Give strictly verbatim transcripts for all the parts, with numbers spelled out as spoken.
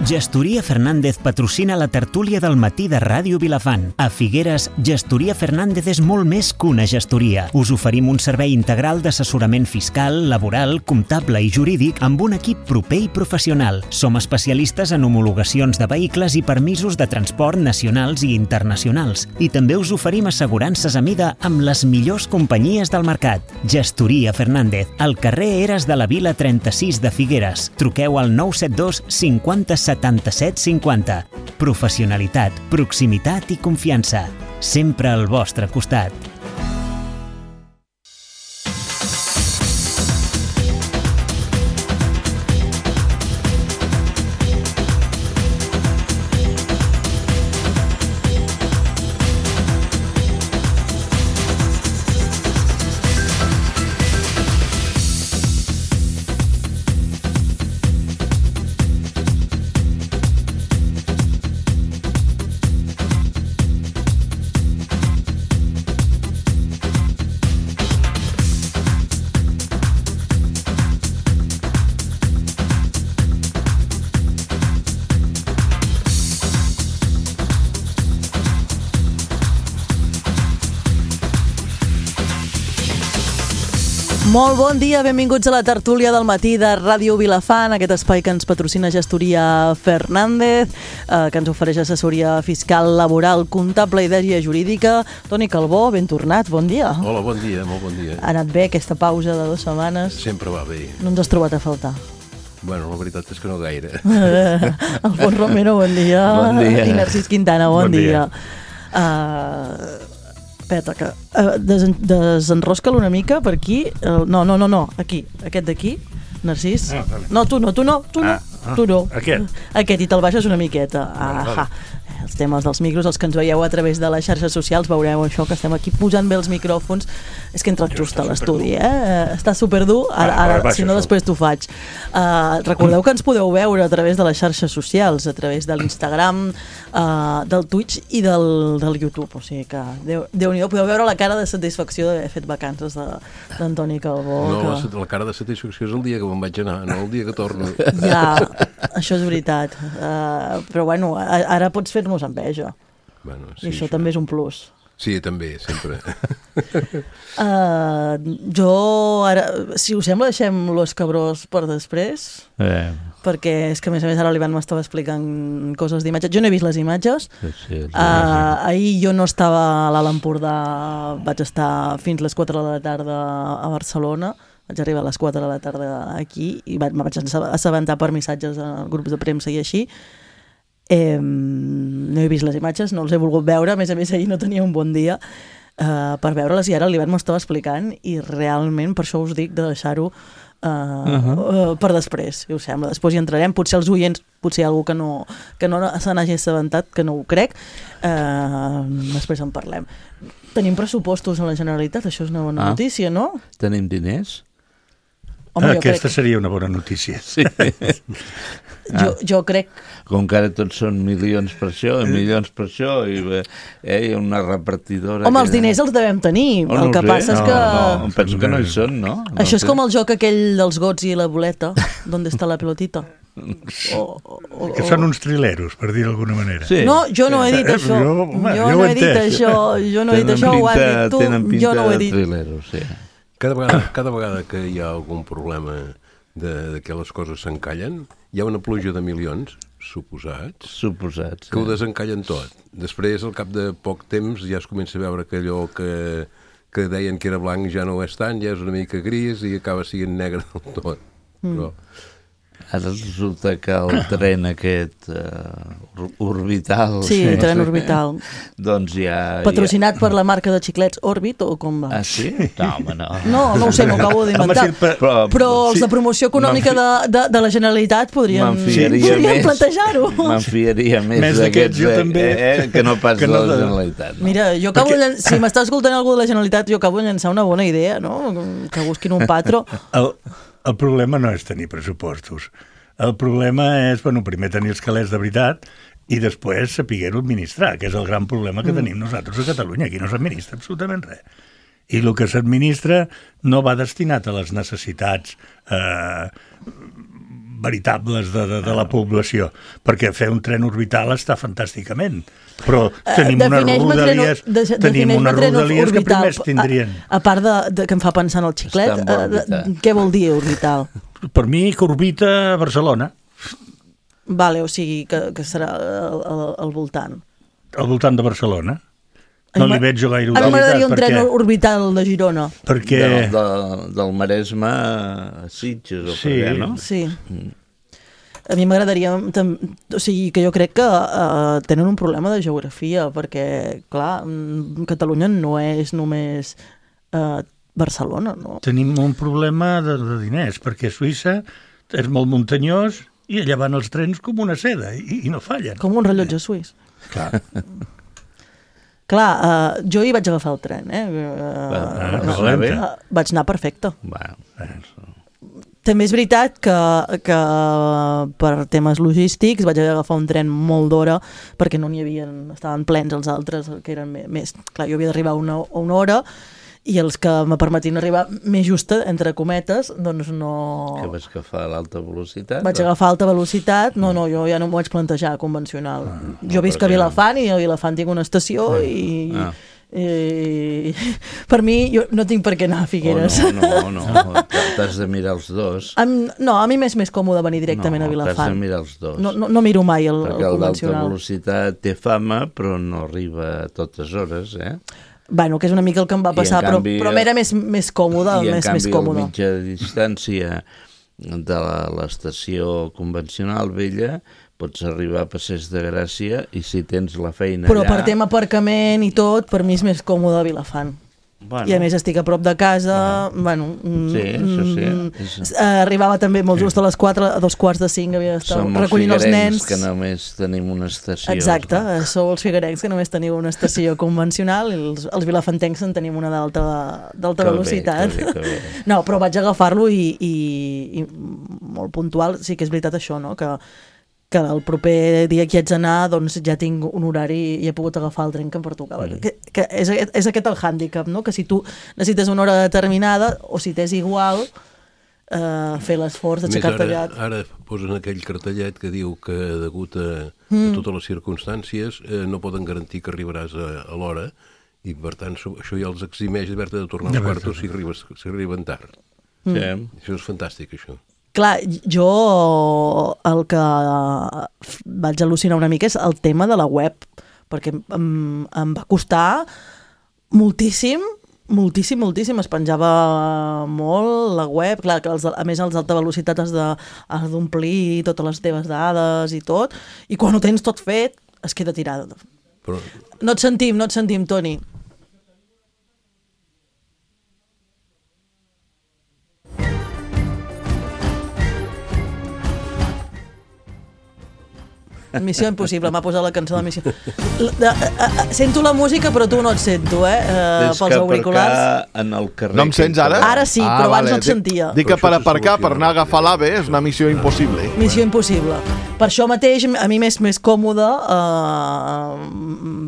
Gestoria Fernández patrocina la tertúlia del matí de Ràdio Vilafant. A Figueres, Gestoria Fernández és molt més que una gestoria. Us oferim un servei integral d'assessorament fiscal, laboral, comptable i jurídic amb un equip proper i professional. Som especialistes en homologacions de vehicles i permisos de transport nacionals i internacionals. I també us oferim assegurances a mida amb les millors companyies del mercat. Gestoria Fernández, al carrer Eres de la Vila trenta-sis de Figueres. Truqueu al nou set dos cinquanta setanta-set cinquanta. Professionalitat, proximitat i confiança. Sempre al vostre costat. Molt bon dia, benvinguts a la tertúlia del matí de Ràdio Vilafant, aquest espai que ens patrocina Gestoria Fernández, eh, que ens ofereix assessoria fiscal, laboral, comptable i d'èria jurídica. Toni Calbó, ben tornat, bon dia. Hola, bon dia, molt bon dia. Ha anat bé aquesta pausa de dues setmanes? Sempre va bé. No ens has trobat a faltar? Bueno, la veritat és que no gaire. Alfons Romero, bon dia. Bon dia. I Narcís Quintana, bon, Bon dia. dia. Uh, Espera, que uh, desen, desenrosca-lo una mica per aquí. Uh, no, no, no, no, aquí, aquest d'aquí. Narcís? Ah, vale. No, tu no, tu no, tu no, Ah, ah, tu no. aquest. Aquest, i te'l baixes una miqueta. Vale, Ah, vale. Els temes dels micros, els que ens veieu a través de les xarxes socials, veureu això, que estem aquí posant bé els micròfons. És que he entrat just a l'estudi, eh? Està superdur, ara, Ah, ara vale, si no això. després t'ho faig. Uh, recordeu que ens podeu veure a través de les xarxes socials, a través de l'Instagram, uh, del Twitch i del, del YouTube, o sigui que Déu, Déu-n'hi-do, podeu veure la cara de satisfacció d'haver fet vacances d'Antoni Calbó. No, que... la, la cara de satisfacció és el dia que me'n vaig anar, no el dia que torno. Ja, això és veritat. Uh, però bueno, a, ara pots fer-nos enveja. Bueno, I això també és un plus. Sí, també, sempre. Uh, jo ara, si us sembla, deixem l'os cabrós per després, Eh, perquè és que a més a més ara l'Ivan m'estava explicant coses d'imatges. Jo no he vist les imatges. sí, sí, sí. Uh, ahir jo no estava a l'Alt Empordà, vaig estar fins les quatre de la tarda a Barcelona, vaig arribar a les quatre de la tarda aquí i vaig, me vaig assabentar per missatges a grups de premsa i així. Eh, no he vist les imatges, no els he volgut veure, a més a més ahir no tenia un bon dia uh, per veure-les i ara l'Ivan m'ho estava explicant i realment per això us dic de deixar-ho uh, uh -huh. uh, per després, si us sembla. Després hi entrarem, potser els oients, potser hi ha algú que no, que no se n'hagi assabentat, que no ho crec, uh, després en parlem. Tenim pressupostos a la Generalitat, això és una bona Ah. notícia, no? Tenim diners? Home, jo Aquesta crec, seria una bona notícia. Sí. jo, jo crec Com que ara tots són milions per això, i milions per això, i eh, hi ha una repartidora... home, els que- diners els devem tenir, Oh, no el que ho sé. passa és no, que No, penso que no hi són, no? no això és sé. com el joc aquell dels gots i la boleta, d'on està la pelotita. O, o, o, Que són uns trileros, per dir d'alguna manera. Sí. No, jo no he dit Eh, això. jo, home, Jo jo no ho he he dit entès. això. Jo no he dit Tenen això, ho has pinta- dit tu. tenen pinta Jo no ho he de dit. thrilleros, sí. Cada vegada, cada vegada que hi ha algun problema de, de que les coses s'encallen, hi ha una pluja de milions, suposats, Suposats. que ho desencallen tot. Després, al cap de poc temps, ja es comença a veure que allò que, que deien que era blanc ja no ho és tant, ja és una mica gris i acaba sent negre del tot. Mm. Però, Ara resulta que el tren aquest uh, orbital... Sí, no tren sé orbital. què, doncs ja... Patrocinat per la marca de xiclets Orbit o com va? Ja... Ah, sí? No, home, no. No, no ho sé, m'ho acabo d'inventar. Home, sí, per- Però, Però els sí, de promoció econòmica de, de, de la Generalitat podrien, M'enfiaria podrien més, plantejar-ho. M'enfiaria més, Més d'aquests, d'aquests, jo eh, també. eh, que no pas Que de no la de- Generalitat. No? Mira, jo acabo Perquè- de llan... si m'està escoltant algú de la Generalitat, jo acabo de llançar una bona idea, no? Que busquin un patro. El, el problema no és tenir pressupostos. El problema és, bueno, primer tenir els calés de veritat i després saber-ho administrar, que és el gran problema que mm. tenim nosaltres a Catalunya. Aquí no s'administra absolutament res. I el que s'administra no va destinat a les necessitats eh, veritables de, de, de la població, perquè fer un tren orbital està fantàsticament, però tenim unes rodalies, de, tenim unes rodalies que primer es tindrien. A, a part de, de que em fa pensar en el xiclet, eh, de, què vol dir orbital? Per mi que orbita a Barcelona. Vale, o sigui que, que serà al, al, al voltant. Al voltant de Barcelona. No li veig jo gaire utilitat. A mi m'agradaria un tren orbital de Girona. Perquè... De, de, del Maresme a Sitges, o sí. per què, no? Sí. Mm. A mi m'agradaria... O sigui, que jo crec que uh, tenen un problema de geografia, perquè, clar, Catalunya no és només uh, Barcelona, no? Tenim un problema de, de diners, perquè Suïssa és molt muntanyós i allà van els trens com una seda, i, i no fallen. Com un rellotge suís. Clar. Clar, uh, jo hi vaig agafar el tren, eh? Uh, ah, no, uh, vaig anar perfecte. Bueno. També és veritat que, que per temes logístics vaig haver d'agafar un tren molt d'hora perquè no n'hi havia, estaven plens els altres, que eren més... Clar, jo havia d'arribar a una, una hora i els que me permetien arribar més justa, entre cometes, doncs no... Que vas agafar l'alta velocitat? Vaig agafar alta velocitat, no, no, jo ja no m'ho vaig plantejar convencional. Ah, jo visc a Vilafant i a Vilafant tinc una estació ah. i... Ah. I, per mi, jo no tinc per què anar a Figueres. Oh, no, no, no, t'has de mirar els dos. Am, no, a mi m'és més còmode venir directament no, a Vilafant. T'has de mirar els dos. No, no, no miro mai el, perquè el convencional. Perquè el d'alta velocitat té fama, però no arriba a totes hores, eh? Bueno, que és una mica el que em va passar, però, canvi, però m'era més, més còmode. I en més, canvi, més còmode. el mitja distància de l'estació convencional vella pots arribar a Passeig de Gràcia i si tens la feina però allà... Però per tema aparcament i tot, per mi és més còmode a Vilafant. Bueno. I a més estic a prop de casa, uh-huh. bueno... Sí, això sí. És... Arribava també molt just a les quatre, a dos quarts de cinc havia d'estar recollint els nens. Som els figuerencs que només tenim una estació. Exacte, no? Sou els figuerencs que només teniu una estació convencional i els, els vilafantencs en tenim una d'alta velocitat. Que bé, que bé, que bé. No, però vaig agafar-lo i, i, i molt puntual, sí que és veritat això, no?, que que el proper dia que hi haig d'anar doncs ja tinc un horari i he pogut agafar el tren que em pertocava. Mm. Que, que és, és aquest el hàndicap, no? Que si tu necessites una hora determinada o si t'és igual eh, fer l'esforç d'aixecar-te allà. Ara posen aquell cartellet que diu que degut a, mm. a totes les circumstàncies eh, no poden garantir que arribaràs a, a l'hora i per tant això ja els eximeix d'haver-te de tornar als quartos si, arribes, si arriben tard. Mm. Sí. Això és fantàstic, això. Clar, jo el que vaig al·lucinar una mica és el tema de la web, perquè em, em va costar moltíssim, moltíssim, moltíssim. Es penjava molt la web, clar, que els, a més els d'alta velocitat has d'omplir totes les teves dades i tot, i quan ho tens tot fet es queda tirada. Però... No et sentim, no et sentim, Toni. Missió impossible, m'ha posat la cançó de Missió. La, a, a, sento la música, però tu no et sento, eh? Uh, pels auriculars. En el carrer. No em sents ara? Ara sí, ah, però abans vale. no et sentia. Dic que per aparcar, per anar a agafar l'AVE, és una missió impossible. Missió impossible. Per això mateix, a mi m'és més còmode uh,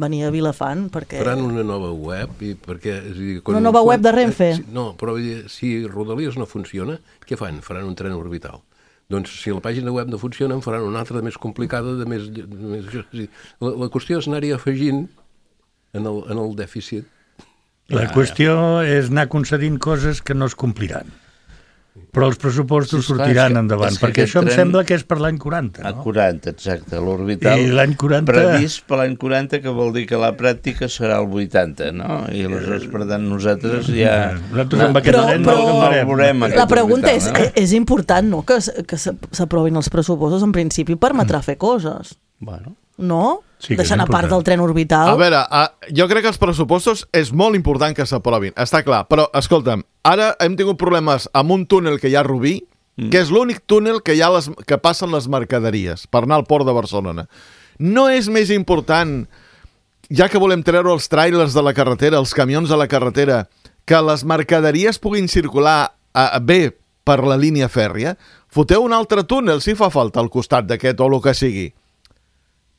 venir a Vilafant, perquè... Faran una nova web i perquè... És dir, quan, una nova quan, web de Renfe? Eh, no, però si Rodalies no funciona, què fan? Faran un tren orbital. Doncs si la pàgina web no funciona en faran una altra de més complicada, de més... De més la, la qüestió és anar-hi afegint en el, en el dèficit. La ah, qüestió és anar concedint coses que no es compliran. Però els pressupostos sí, sortiran que, endavant, perquè això em sembla que és per l'any quaranta, no? A quaranta, exacte, l'orbital. I l'any quaranta... Previst per l'any quaranta, que vol dir que la pràctica serà el vuitanta, no? I aleshores, per tant, nosaltres ja... Nosaltres amb aquest tren no el veurem. La pregunta és, no? és important, no?, que, que s'aprovin els pressupostos, en principi permetrà fer coses. Bueno... No? Sí, deixant a part del tren orbital. A veure, uh, jo crec que els pressupostos és molt important que s'aprovin, està clar, però escolta'm, ara hem tingut problemes amb un túnel que hi ha a Rubí, mm. que és l'únic túnel que hi ha les, que passen les mercaderies per anar al port de Barcelona. No és més important, ja que volem treure els tràilers de la carretera, els camions de la carretera, que les mercaderies puguin circular uh, bé per la línia fèrria? Foteu un altre túnel si fa falta al costat d'aquest o el que sigui.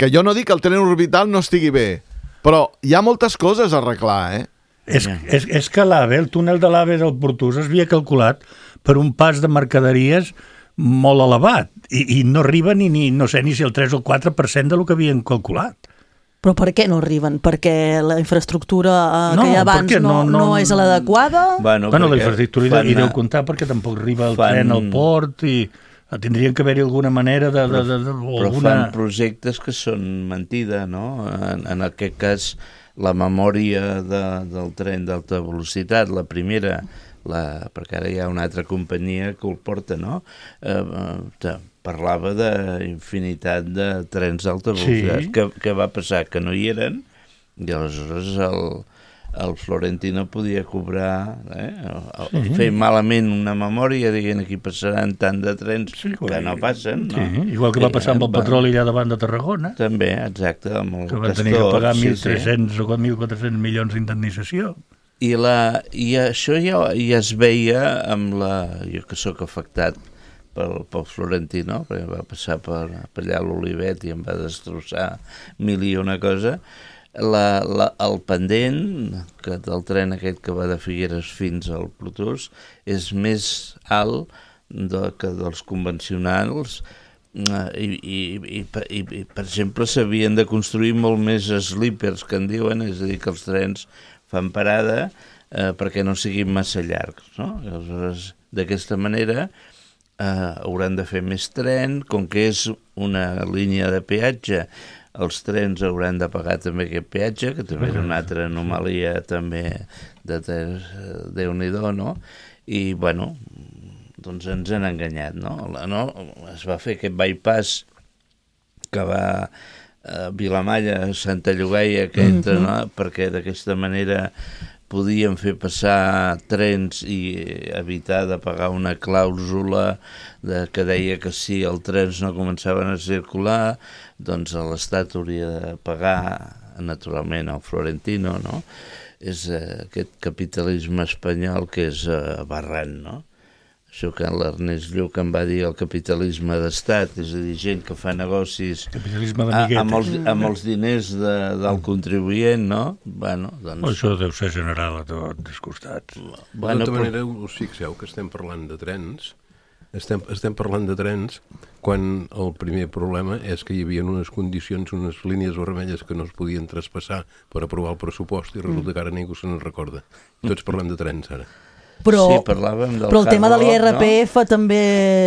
Que jo no dic que el tren orbital no estigui bé, però hi ha moltes coses a arreglar, eh? És, és, és que l'AVE, el túnel de l'AVE del Portús, es havia calculat per un pas de mercaderies molt elevat i, i no arriba ni, ni, no sé ni si el tres o el quatre per cent del que havien calculat. Però per què no arriben? Perquè la infraestructura eh, No, que hi ha abans perquè no, no- no, no- és l'adequada? Bueno, Bueno, la perquè infraestructura fan- hi deu comptar perquè tampoc arriba el fan- tren al port i tindrien que haver-hi alguna manera de... de, de, de o Però alguna... fan projectes que són mentida, no? En, en aquest cas, la memòria de, del tren d'alta velocitat, la primera, la, perquè ara hi ha una altra companyia que ho porta, no? Eh, eh, parlava d'infinitat de trens d'alta velocitat. Sí. Què, què va passar? Que no hi eren, i aleshores el, el Florentino podia cobrar, eh? Sí. Fer malament una memòria, dient aquí passaran tant de trens Sí, que no passen, no? Sí, igual que va passar amb el petroli allà davant de Tarragona, També, exacte, amb el que van Castor. tenir que pagar sí, mil tres-cents o mil quatre-cents milions d'indemnització. I, la, I això ja, ja es veia amb la... Jo que sóc afectat pel, pel Florentino, perquè va passar per, per allà a l'Olivet i em va destrossar mil i una cosa, la, la, el pendent que del tren aquest que va de Figueres fins al Plutós és més alt de, que dels convencionals, i, i, i, i, i per exemple s'havien de construir molt més sleepers, que en diuen, és a dir, que els trens fan parada eh, perquè no siguin massa llargs, no? I aleshores, d'aquesta manera eh, hauran de fer més tren, com que és una línia de peatge, els trens hauran de pagar també aquest peatge, que també és una altra anomalia també de Déu-n'hi-do, no? I, bueno, doncs ens han enganyat, no? no? Es va fer aquest bypass que va a Vilamalla, Santa Llogaia, que entra, no? Perquè d'aquesta manera podien fer passar trens i evitar de pagar una clàusula de, que deia que si els trens no començaven a circular, doncs l'Estat hauria de pagar, naturalment, al Florentino, no? És eh, aquest capitalisme espanyol que és eh, aberrant, no? Això que l'Ernest Lluch em va dir el capitalisme d'estat, és a dir, gent que fa negocis Capitalisme a, d'amiguetes. amb, els, amb els diners de, del contribuent, no? Bueno, doncs... Oh, això deu ser general a tots els costats. De Bueno, tota però- manera, us fixeu que estem parlant de trens, estem, estem parlant de trens quan el primer problema és que hi havia unes condicions, unes línies vermelles que no es podien traspassar per aprovar el pressupost i resulta que ara ningú se n'en recorda. Tots parlem de trens, ara. Però, Sí, parlàvem del però el tema de hard rock, l'I R P F no? també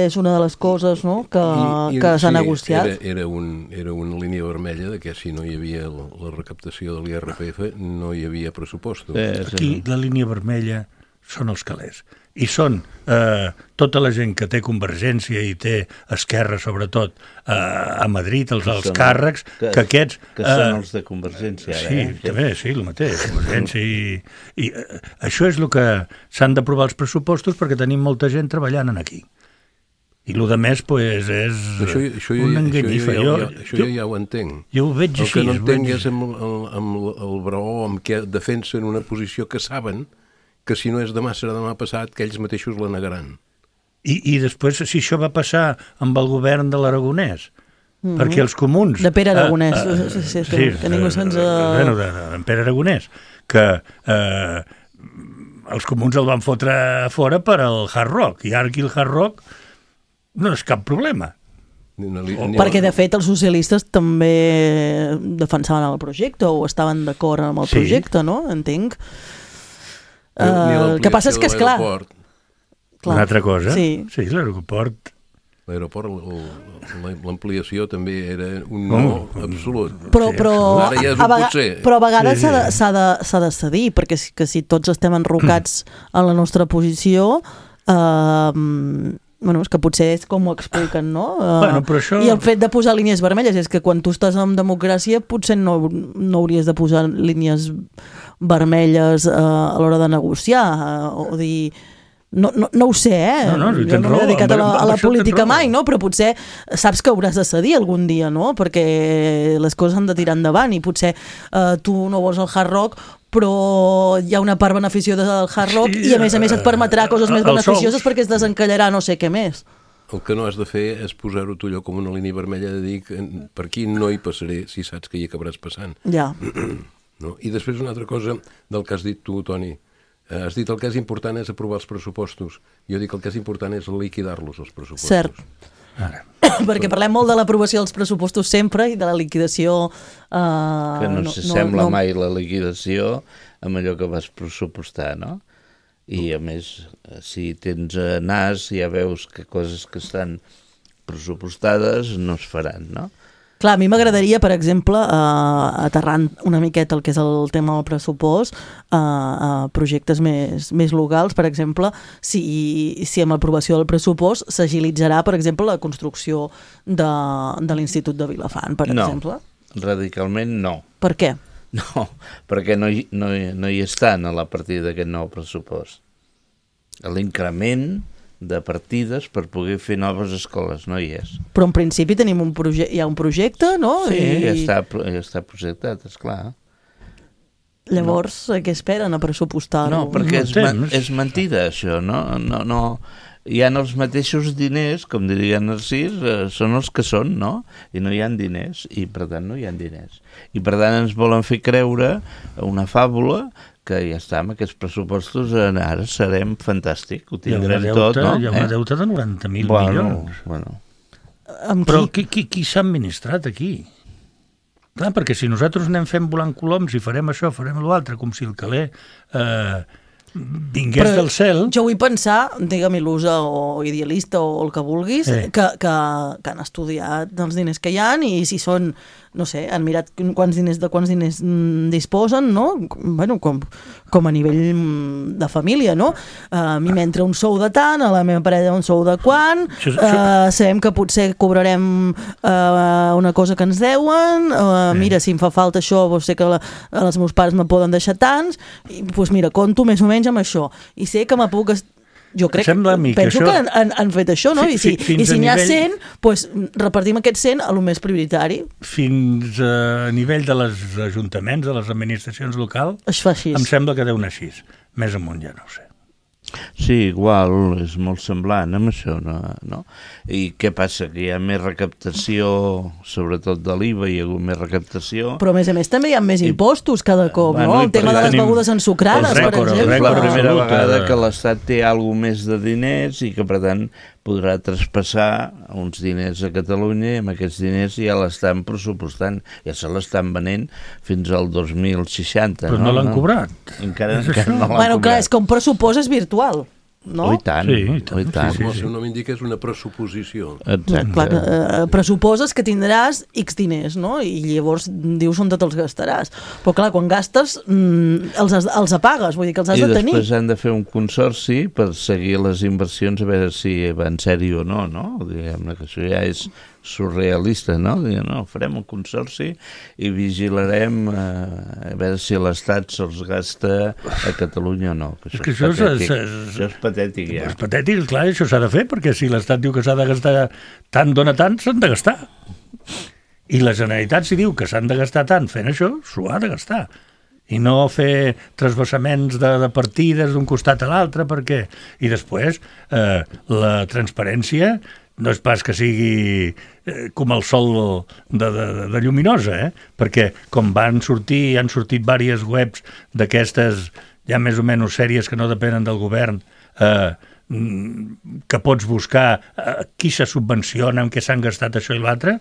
és una de les coses, no?, que, I- i- que s'ha sí, negociat. Era, era, un, era una línia vermella de que si no hi havia la, la recaptació de l'I R P F no hi havia pressupostos. Eh, sí. Aquí la línia vermella són els calés. I són eh, tota la gent que té Convergència i té Esquerra, sobretot, eh, a Madrid, els alts Són- càrrecs, que, que aquests... Que són eh, els de Convergència, ara, Sí, eh? també, sí, el mateix, Convergència i... i eh, això és el que s'han d'aprovar els pressupostos perquè tenim molta gent treballant en aquí. I el de més, pues, és Això, això, jo, una això, jo, enganyifa. jo, Jo, jo, això jo ja ho entenc. jo ho veig El així. que no ho entenc veig- és amb, el, amb el, el braó amb què defensen una posició que saben que si no és demà serà demà passat, que ells mateixos la negaran. I, I després, si això va passar amb el govern de l'Aragonès, mm -hmm. perquè els comuns... De Pere Aragonès, eh, eh, sí, sí, sí, que- que ningú se'ns, eh, Bueno, de, de, de Pere Aragonès, que eh, els comuns el van fotre a fora per al Hard Rock, i ara aquí el Hard Rock no és cap problema. Ni, ni, ni, Perquè, de fet, els socialistes també defensaven el projecte o estaven d'acord amb el Sí. projecte, no? Entenc. ni Uh, el que passa és que, és clar... l'aeroport, clar. Una altra cosa, Sí. sí l'aeroport... L'aeroport, el- el- l'ampliació també era un no Oh. absolut. Però, Sí, però, ara ja és un a, vega- potser. però a vegades Sí, sí. s'ha de, s'ha de, s'ha de cedir, perquè si, que si tots estem enrocats en la nostra posició, eh, bueno, és que potser és com ho expliquen, no? Eh, Bueno, però això- I el fet de posar línies vermelles és que quan tu estàs en democràcia potser no, no hauries de posar línies vermelles eh, a l'hora de negociar, eh, o dir... No, no, no ho sé, eh? No, no, jo tens no m'he raó, dedicat a la, amb- a amb la això tens política raó. mai, no? Però potser saps que hauràs de cedir algun dia, no? Perquè les coses han de tirar endavant i potser eh, tu no vols el Hard Rock, però hi ha una part beneficiosa del Hard Rock Sí, i a més a més et permetrà coses eh, més els beneficioses sous. perquè es desencallarà no sé què més. El que no has de fer és posar-ho tu allò com una línia vermella de dir que per aquí no hi passaré si saps que hi acabaràs passant. Ja. No? I després una altra cosa del que has dit tu, Toni. Has dit el que és important és aprovar els pressupostos. Jo dic el que és important és liquidar-los, els pressupostos. Cert. Ara. Perquè parlem molt de l'aprovació dels pressupostos sempre i de la liquidació... Eh, que no, no s'assembla no, no... mai la liquidació amb allò que vas pressupostar, no? I a més, si tens nas ja veus que coses que estan pressupostades no es faran, no? Clar, a mi m'agradaria, per exemple, eh, aterrant una miqueta el que és el tema del pressupost, eh, eh, projectes més, més locals, per exemple, si, si amb l'aprovació del pressupost s'agilitzarà, per exemple, la construcció de, de l'Institut de Vilafant, per no, exemple. No, radicalment no. Per què? No, perquè no hi, no, hi, no hi estan a la partida d'aquest nou pressupost. L'increment de partides per poder fer noves escoles, no hi és. Però en principi tenim un proje- hi ha un projecte, no? Sí, I... ja està, ja està projectat, esclar. Llavors, no. Què esperen a pressupostar-ho? No, perquè és, man, és mentida, això, no? No, no. Hi ha els mateixos diners, com diria Narcís, eh, són els que són, no? I no hi ha diners, i per tant no hi ha diners. I per tant ens volen fer creure una fàbula que ja està, amb aquests pressupostos ara serem fantàstic, ho tindrem tot, no? Hi ha una deuta de noranta mil bueno, milions. Bueno. Però qui, qui, qui s'ha administrat aquí? Clar, perquè si nosaltres anem fent volant coloms i farem això, farem l'altre, com si el caler eh, vingués Però del cel... Jo vull pensar, digue'm il·lusa o idealista o el que vulguis, eh. que, que, que han estudiat els diners que hi ha i si són, no sé, han mirat quants diners de quants diners mm, disposen, no? Bueno, com, com a nivell de família, no? Uh, a mi m'entra un sou de tant, a la meva parella un sou de quant, això, uh, sabem que potser cobrarem uh, una cosa que ens deuen, uh, eh. mira, si em fa falta això, doncs sé que la, els meus pares me poden deixar tants, i doncs mira, conto més o menys amb això, i sé que me puc... Jo crec, penso que, això... que han, han fet això, no? I si, i si n'hi ha cent, doncs repartim aquest cent a lo més prioritari. Fins a nivell de les ajuntaments, de les administracions locals, es fa així. Em sembla que deu anar així. Més amunt ja no ho sé. Sí, igual, és molt semblant amb això, no? no? I què passa? Que hi ha més recaptació, sobretot de l'I V A, hi ha hagut més recaptació... Però a més a més també hi ha més impostos cada cop, bueno, no? El tema de les begudes ensucrades, per exemple. És la primera vegada que l'Estat té alguna més de diners i que, per tant, podrà traspassar uns diners a Catalunya i amb aquests diners ja l'estan pressupostant, ja se l'estan venent fins al dos mil seixanta. Però no, no l'han no? cobrat. Encara, encara no l'han bueno, cobrat. Clar, és que un pressupost és virtual. No? Oh, i tant, sí, i tant. Oh, i tant. Sí, sí, sí. El seu nom indica és una pressuposició. Exacte. Clar, eh, pressuposes que tindràs X diners, no? I llavors dius on te'ls gastaràs. Però clar, quan gastes mm, els, els apagues, vull dir que els has I de tenir. I després han de fer un consorci per seguir les inversions a veure si va en sèrio o no, no? Diguem-ne que això ja és surrealista, no? Diguem, no, farem un consorci i vigilarem eh, a veure si l'Estat se'ls gasta a Catalunya o no. Que això, és que és, això, patètic. És, és, això és patètic, ja. És patètic, clar, això s'ha de fer, perquè si l'Estat diu que s'ha de gastar tant, dona tant, s'han de gastar. I la Generalitat, si diu que s'han de gastar tant fent això, s'ho ha de gastar. I no fer trasvassaments de, de partides d'un costat a l'altre, perquè... I després, eh, la transparència no és pas que sigui eh, com el sol de, de, de lluminosa, eh? Perquè com van sortir, han sortit diverses webs d'aquestes ja més o menys sèries que no depenen del govern, eh, que pots buscar eh, qui se subvenciona, amb què s'han gastat això i l'altre,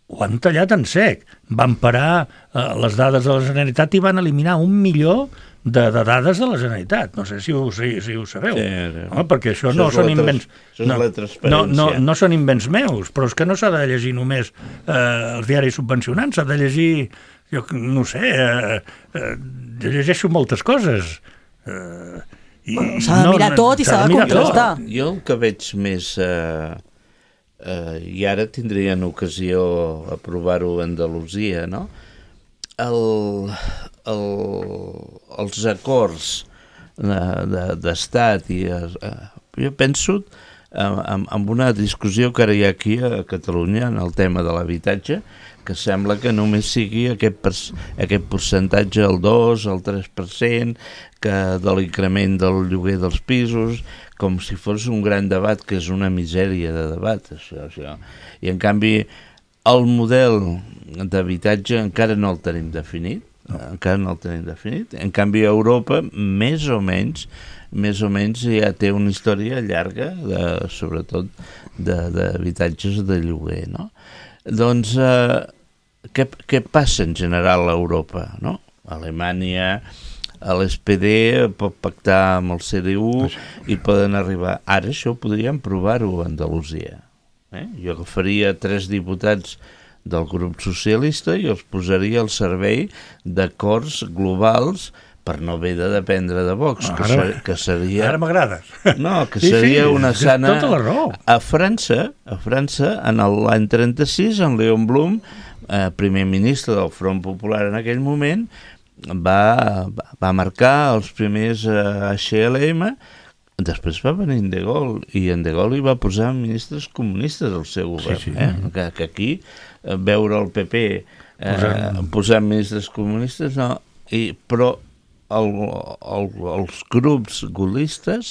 ho han tallat en sec. Van parar eh, les dades de la Generalitat i van eliminar un milió de, de dades de la Generalitat. No sé si ho, si, si ho sabeu. Sí, sí. No, perquè això, això no són invents... Això és no, la transparència. No, no, no són invents meus, però és que no s'ha de llegir només eh, els diaris subvencionants, s'ha de llegir, jo no sé, eh, eh, jo llegeixo moltes coses. Eh, i s'ha de no, mirar tot i s'ha de contrastar. Jo, jo el que veig més... Eh, eh, i ara tindrien ocasió a provar-ho a Andalusia, no? El, el, els acords d'estat de, de, i eh, jo penso en, en una discussió que ara hi ha aquí a Catalunya en el tema de l'habitatge, que sembla que només sigui aquest, per, aquest percentatge, el dos, el tres per cent, que de l'increment del lloguer dels pisos, com si fos un gran debat, que és una misèria de debat, això, això. I en canvi el model d'habitatge encara no el tenim definit, no. Encara no el tenim definit. En canvi, a Europa, més o menys, més o menys ja té una història llarga, de, sobretot d'habitatges de, de lloguer, no? Doncs, eh, què, què passa en general a Europa, no? Alemanya, l'S P D pot pactar amb el C D U i poden arribar... Ara això podríem provar-ho a Andalusia. Eh? Jo agafaria tres diputats del grup socialista i els posaria al servei d'acords globals per no haver de dependre de Vox, que, ser, que seria... Ara m'agrades. No, que seria sí, sí, una sana... Tota la raó. A França, a França, en l'any trenta-sis, en Léon Blum, eh, primer ministre del Front Popular en aquell moment, va, va marcar els primers eh, H L M. Després va venir en De Gaulle, i en De Gaulle hi va posar ministres comunistes al seu govern. Sí, sí. Eh? Que, que aquí eh, veure el P P eh, posant... posant ministres comunistes, no, i, però el, el, els grups gaullistes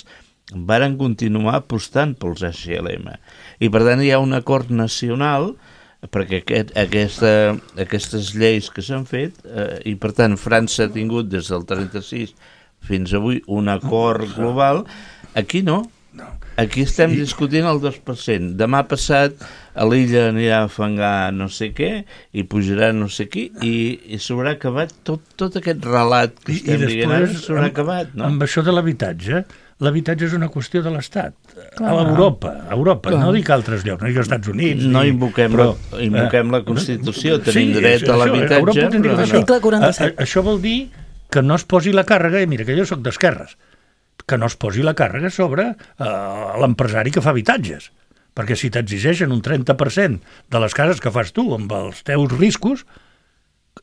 varen continuar apostant pels H L M. I per tant hi ha un acord nacional perquè aquest, aquesta, aquestes lleis que s'han fet, eh, i per tant França ha tingut des del trenta-sis fins avui un acord global. Aquí no. Aquí estem sí. discutint el dos per cent. Demà passat a l'illa anirà a fangar no sé què i pujarà no sé qui i, i s'haurà acabat tot, tot aquest relat que I, estem dient ara s'haurà acabat. No? Amb això de l'habitatge, l'habitatge és una qüestió de l'Estat. A l'Europa, a Europa, Clar. no dic altres llocs, no dic als Estats Units. No ni, invoquem, però, la, invoquem eh, la Constitució, tenim sí, dret a l'habitatge. Article quaranta-set. A, a, això vol dir que no es posi la càrrega, i mira que jo soc d'esquerres, que no es posi la càrrega sobre uh, l'empresari que fa habitatges. Perquè si t'exigeixen un trenta per cent de les cases que fas tu amb els teus riscos,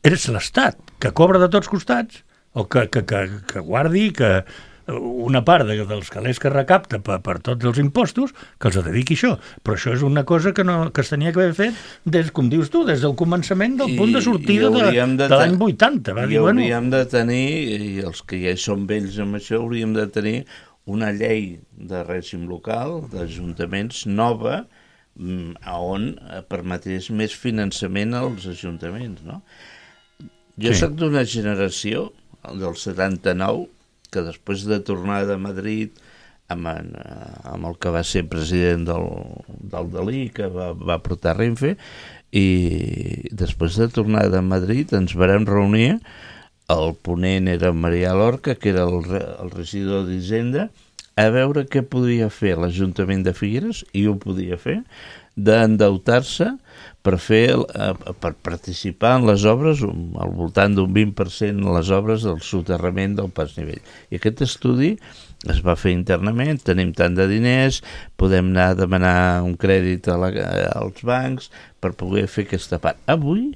eres l'Estat, que cobra de tots costats, o que, que, que, que guardi que una part de, dels calés que recapta per, per tots els impostos, que els dediqui això. Però això és una cosa que, no, que es tenia que haver fet, des, com dius tu, des del començament del I, punt de sortida de, de, de l'any vuitanta. Va I dir, hauríem bueno, de tenir, i els que ja són vells amb això, hauríem de tenir una llei de règim local, d'ajuntaments, nova, on permetés més finançament als ajuntaments. No? Jo sí. soc d'una generació, del setanta-nou, que després de tornar de Madrid amb, en, amb el que va ser president del, del Dalí, que va, va portar Renfe, i després de tornar de Madrid ens vam reunir, el ponent era Marià Lorca, que era el, el regidor d'Hisenda, a veure què podia fer l'Ajuntament de Figueres, i ho podia fer, d'endeutar-se per fer per participar en les obres al voltant d'un vint per cent en les obres del soterrament del pas nivell. I aquest estudi es va fer internament, tenim tant de diners, podem anar a demanar un crèdit a la, als bancs per poder fer aquesta part. Avui,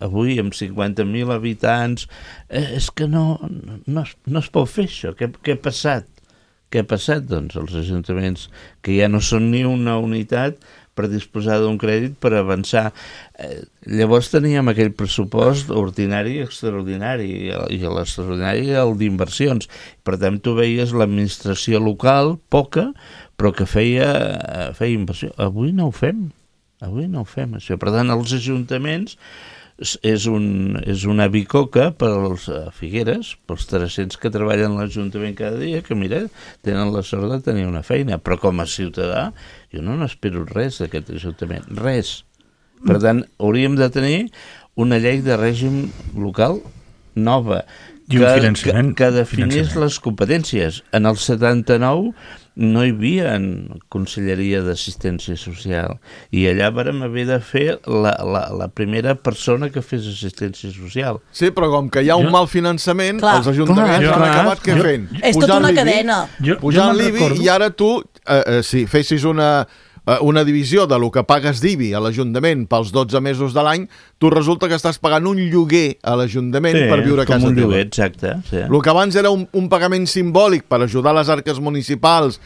avui amb cinquanta mil habitants, eh, és que no, no, es, no es pot fer això. Què, què ha passat? Què ha passat? Doncs els ajuntaments que ja no són ni una unitat per disposar d'un crèdit per avançar. Eh, llavors teníem aquell pressupost ordinari i extraordinari, i l'extraordinari era el d'inversions. Per tant, tu veies l'administració local, poca, però que feia, feia inversió. Avui no ho fem, avui no ho fem, això. Per tant, els ajuntaments és, un, és una bicoca per als Figueres, pels tres-cents que treballen a l'Ajuntament cada dia, que mira, tenen la sort de tenir una feina, però com a ciutadà jo no n'espero res d'aquest Ajuntament, res. Per tant, hauríem de tenir una llei de règim local nova, que, que, que definís les competències. En el setanta-nou no hi havia Conselleria d'Assistència Social i allà vàrem haver de fer la, la, la primera persona que fes assistència social. Sí, però com que hi ha un jo... mal finançament, clar, els ajuntaments clar, han acabat què jo, fent? És tota una cadena. Pujant l'I B I i ara tu, eh, eh, si fessis una... una divisió de lo que pagues d'I B I a l'Ajuntament pels dotze mesos de l'any, tu resulta que estàs pagant un lloguer a l'Ajuntament sí, per viure a casa un teva. Lloguer, exacte. Sí. El que abans era un, un pagament simbòlic per ajudar les arques municipals,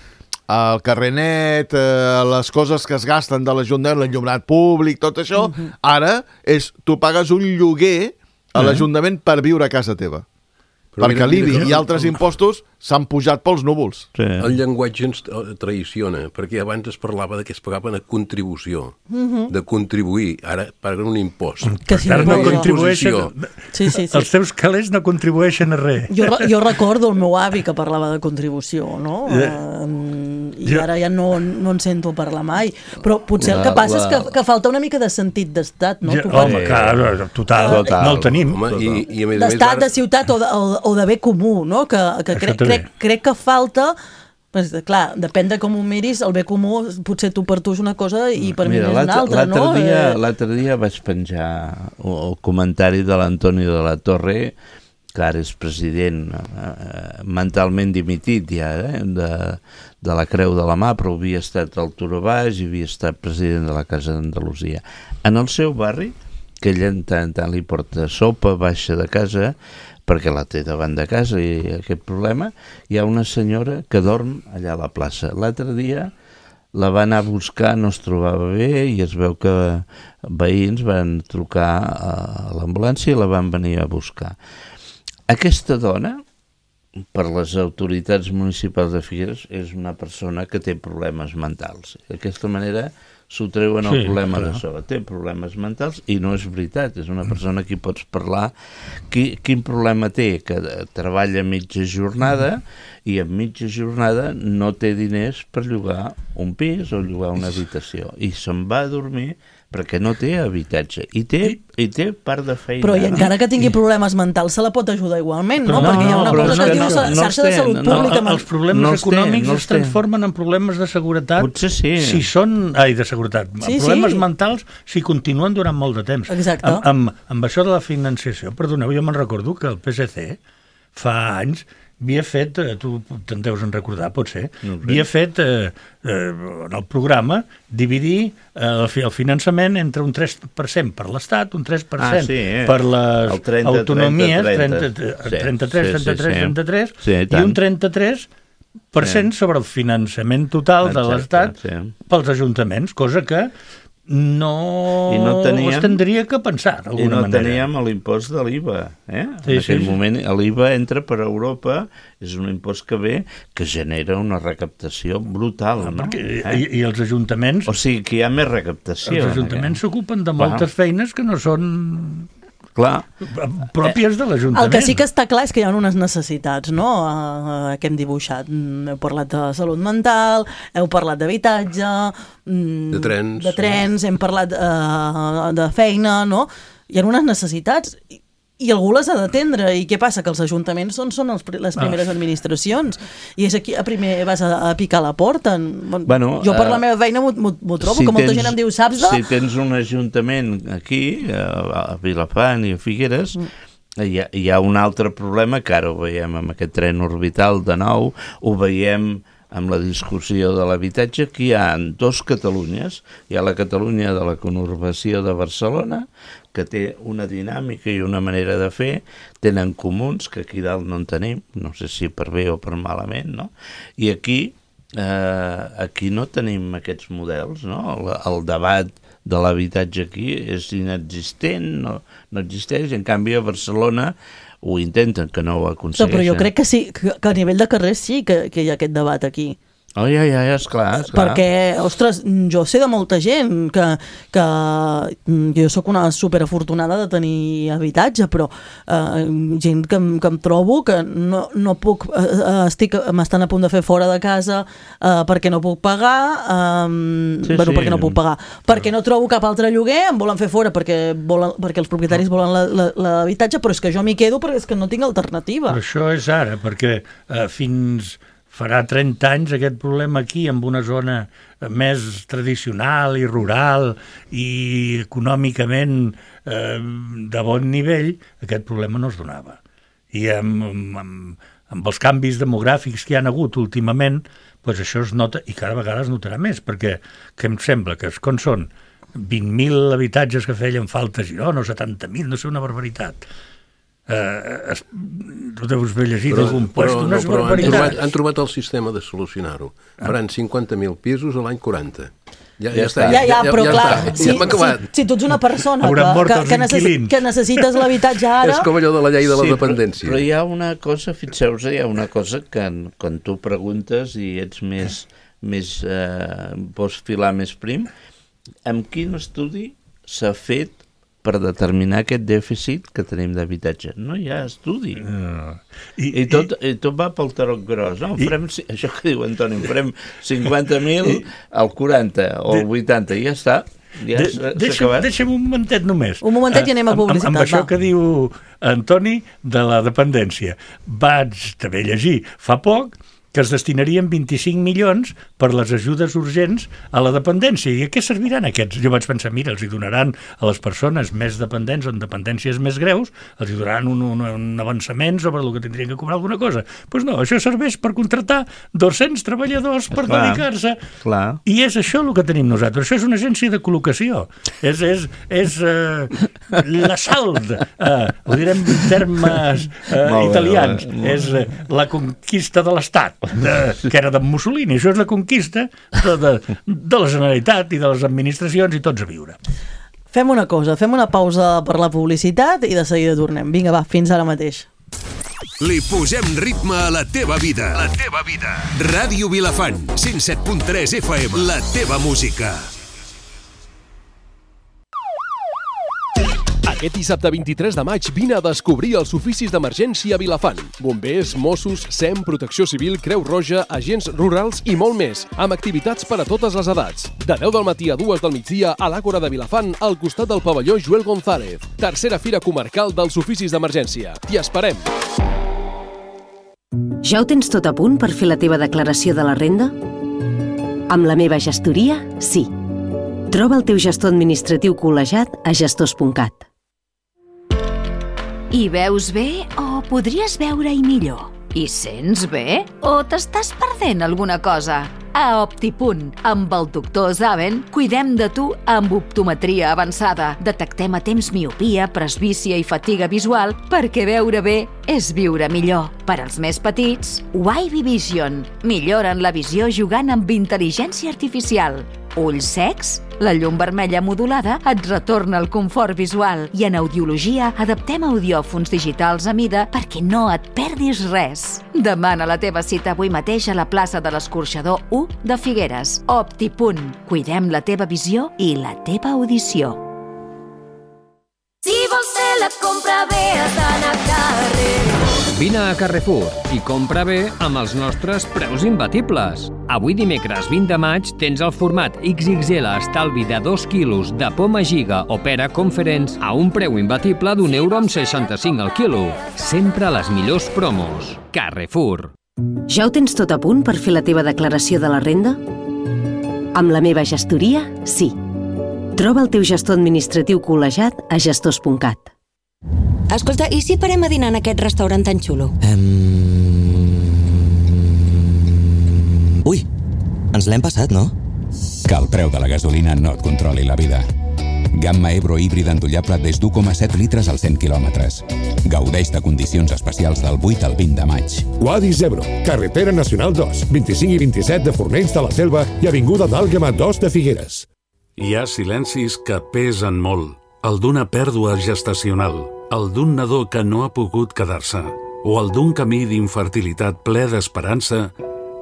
el carrer net, eh, les coses que es gasten de l'Ajuntament, l'enllumenat públic, tot això, uh-huh. ara és tu pagues un lloguer a l'Ajuntament per viure a casa teva. Però perquè mira, l'I B I mira, i altres impostos s'han pujat pels núvols. Sí. El llenguatge ens traiciona, perquè abans es parlava de que es pagaven a contribució, Mhm. de contribuir, ara paguen un impost. Que si Ara no no, contribueixen... Sí, sí, sí. Els teus calés no contribueixen a res. Jo, re- jo recordo el meu avi que parlava de contribució, no? Ja. Uh, I Jo- ara ja no, no en sento parlar mai. Però potser el La- que passa la- és que, que falta una mica de sentit d'estat, no? Ja, Tu home, pots- clar, total, Total. no el tenim. Home, i, i a més a més d'estat, ara... de ciutat o de, o, o de bé comú, no? Que, que Això crec, també. crec, crec que falta... Pues, clar, depèn de com ho miris, el bé comú potser tu per tu és una cosa i per Mira, mi és una l'altre altra, no? l'altre dia, Eh, l'altre dia vaig penjar el, el comentari de l'Antonio de la Torre, que ara és president eh, mentalment dimitit ja, eh, de, de la Creu de la Mà, però havia estat al Turó Baix i havia estat president de la Casa d'Andalusia. En el seu barri, que ell en tant, tant li porta sopa, baixa de casa, perquè la té davant de casa i aquest problema, hi ha una senyora que dorm allà a la plaça. L'altre dia la va anar a buscar, no es trobava bé i es veu que veïns van trucar a l'ambulància i la van venir a buscar. Aquesta dona, per les autoritats municipals de Figueres, és una persona que té problemes mentals. D'aquesta manera s'ho treuen el Sí, problema clar. de sobre. Té problemes mentals i no és veritat, és una persona que hi pots parlar. Qui, quin problema té? Que treballa mitja jornada i en mitja jornada no té diners per llogar un pis o llogar una habitació i se'n va a dormir perquè no té habitatge i té, i té part de feina. Però i encara que tingui problemes mentals se la pot ajudar igualment, no? Però Perquè hi ha una no, cosa però que és es diu que no- no xarxa els de té, salut no, pública. El, els problemes No els té, econòmics no els es té. transformen en problemes de seguretat. Potser sí. Si són... Ai, de seguretat. Sí, problemes sí. mentals si continuen durant molt de temps. Exacte. Amb, amb, amb això de la financiació, perdoneu, jo me'n recordo que el P S C fa anys havia fet, eh, tu te'n deus en recordar, potser, No ho sé. havia fet eh, eh, en el programa dividir eh, el, fi- el finançament entre un tres per cent per l'Estat, un tres per cent Ah, sí, eh? per les El trenta, autonomies, trenta, trenta, trenta. Sí, trenta-tres, sí, sí, trenta-tres, sí. trenta-tres, Sí, i i tant. un trenta-tres per cent sobre el finançament total de Exacte, l'Estat sí. pels ajuntaments, cosa que no, I no teníem- es tindria que pensar I d'alguna no manera. teníem l'impost de l'I V A. Eh? Sí, en sí, aquell sí. moment l'I V A entra per Europa, és un impost que ve que genera una recaptació brutal. No? Perquè, Eh? i, I els ajuntaments, O sigui que hi ha més recaptació. els ajuntaments en s'ocupen de Clar. moltes feines que no són aquest. Clar, pròpies de l'Ajuntament. El que sí que està clar és que hi ha unes necessitats, no?, uh, que hem dibuixat. Mm, Heu parlat de salut mental, heu parlat d'habitatge, mm, De trens. de trens, hem parlat uh, de feina, no? Hi ha unes necessitats i, i algú les ha d'atendre. I què passa? Que els ajuntaments són, són els, pri- les primeres administracions i és aquí a primer vas a, a picar la porta. Bueno, jo per eh, la meva feina m'ho- m'ho m'ho trobo, si que molta tens- gent em diu, saps de... Si tens un ajuntament aquí, a, a Vilafant i a Figueres, Mm. hi ha, hi ha un altre problema que ara ho veiem amb aquest tren orbital de nou, ho veiem amb la discussió de l'habitatge, que hi ha dos Catalunyes. Hi ha la Catalunya de la conurbació de Barcelona, que té una dinàmica i una manera de fer, tenen comuns, que aquí dalt no en tenim, no sé si per bé o per malament, no? I aquí, eh, aquí no tenim aquests models, no? El, el debat de l'habitatge aquí és inexistent, no, no existeix, en canvi a Barcelona ho intenten, que no ho No, aconsegueixen. però jo crec que sí, que, que a nivell de carrer sí que, que hi ha aquest debat aquí. Oh, ja, ja, ja, esclar, esclar. Perquè, ostres, jo sé de molta gent que, que jo sóc una superafortunada de tenir habitatge, però eh, gent que, em- que em trobo que no, no puc, eh, estic, m'estan a punt de fer fora de casa eh, perquè no puc pagar, eh, Sí, bueno, sí. perquè no puc pagar, perquè no trobo cap altre lloguer, em volen fer fora perquè, volen, perquè els propietaris volen la- la- l'habitatge, però és que jo m'hi quedo perquè és que no tinc alternativa. Però això és ara, perquè eh, fins farà trenta anys aquest problema aquí, amb una zona eh, més tradicional i rural i econòmicament eh, de bon nivell, aquest problema no es donava. I amb, amb, amb, amb els canvis demogràfics que hi han hagut últimament, doncs això es nota, i cada vegada es notarà més, perquè que em sembla que com són vint mil habitatges que feien falta a Girona, o setanta mil, no sé, una barbaritat. Uh, es, tu deus haver llegit Però, algun però, puesto, no, unes però han, barbaritats. trobat, han trobat el sistema de solucionar-ho. Faran cinquanta mil pisos a l'any quaranta. Ja, ja, està, ja, ja, però ja, clar, ja, si, ja hem acabat. si, si tu ets una persona Hauran mort que, els que, necessi, inquilins. que necessites l'habitatge ara... És com allò de la llei de la Sí, dependència. Però, però hi ha una cosa, fixeu-vos, hi ha una cosa que quan tu preguntes i ets més, més eh, vols filar més prim, amb quin estudi s'ha fet per determinar aquest dèficit que tenim d'habitatge? No hi ha estudi. Uh, I, I, tot, I tot va pel tarot gros, no? I, farem, això que diu Antoni, farem cinquanta mil al quaranta o al vuitanta i ja està. Ja de, deixa'm, deixa'm un momentet només. Un momentet i anem a publicitat. Amb, amb això va. que diu Antoni de la dependència. Vaig també llegir fa poc que es destinarien vint-i-cinc milions per les ajudes urgents a la dependència. I a què serviran aquests? Jo vaig pensar, mira, els hi donaran a les persones més dependents o en dependències més greus, els hi donaran un, un, un avançament sobre el que tindrien que cobrar alguna cosa. Doncs pues no, això serveix per contractar dos-cents treballadors per clar, dedicar-se. Clar. I és això el que tenim nosaltres. Això és una agència de col·locació. És, és, és uh, l'assalt, uh, ho direm en termes uh, italians. Bé, és uh, la conquista de l'Estat. De, que era de Mussolini, això és la conquista de, de, de la Generalitat i de les administracions i tots a viure. Fem una cosa, fem una pausa per la publicitat i de seguida tornem. Vinga, va, fins ara mateix. Li posem ritme a la teva vida. La teva vida. Ràdio Vilafant, cent set punt tres F M. La teva música. Aquest dissabte vint-i-tres de maig vine a descobrir els oficis d'emergència a Vilafant. Bombers, Mossos, S E M, Protecció Civil, Creu Roja, agents rurals i molt més, amb activitats per a totes les edats. De deu del matí a dues del migdia a l'Àgora de Vilafant, al costat del pavelló Joel González. Tercera Fira Comarcal dels Oficis d'Emergència. T'hi esperem! Ja ho tens tot a punt per fer la teva declaració de la renda? Amb la meva gestoria, sí. Troba el teu gestor administratiu col·legiat a gestors punt cat. Hi veus bé o podries veure-hi millor? Hi sents bé o t'estàs perdent alguna cosa? A Optipunt, amb el doctor Zaven, cuidem de tu amb optometria avançada. Detectem a temps miopia, presbícia i fatiga visual perquè veure bé és viure millor. Per als més petits, Wavy Vision. Milloren la visió jugant amb intel·ligència artificial. Ulls secs? La llum vermella modulada et retorna el confort visual i en audiologia adaptem audiòfons digitals a mida perquè no et perdis res. Demana la teva cita avui mateix a la plaça de l'Escorxador u de Figueres. Optipunt. Cuidem la teva visió i la teva audició. Si vols fer la compra bé has d'anar a Carrefour. Vine a Carrefour i compra bé amb els nostres preus imbatibles. Avui dimecres vint de maig tens el format X X L estalvi de dos quilos de poma giga o pera Conference a un preu imbatible d'un euro amb seixanta-cinc al quilo. Sempre les millors promos. Carrefour. Ja ho tens tot a punt per fer la teva declaració de la renda? Amb la meva gestoria, sí. Troba el teu gestor administratiu col·legiat a gestors punt cat. Escolta, i si parem a dinar en aquest restaurant tan xulo? Um... Ui, ens l'hem passat, no? Que el preu de la gasolina no et controli la vida. Gamma Ebro híbrida endollable des d'u coma set litres als cent quilòmetres. Gaudeix de condicions especials del vuit al vint de maig. Wadis Ebro, carretera nacional dos, vint-i-cinc i vint-i-set de Fornells de la Selva i avinguda d'Àlguema dos de Figueres. Hi ha silencis que pesen molt. El d'una pèrdua gestacional, el d'un nadó que no ha pogut quedar-se, o el d'un camí d'infertilitat ple d'esperança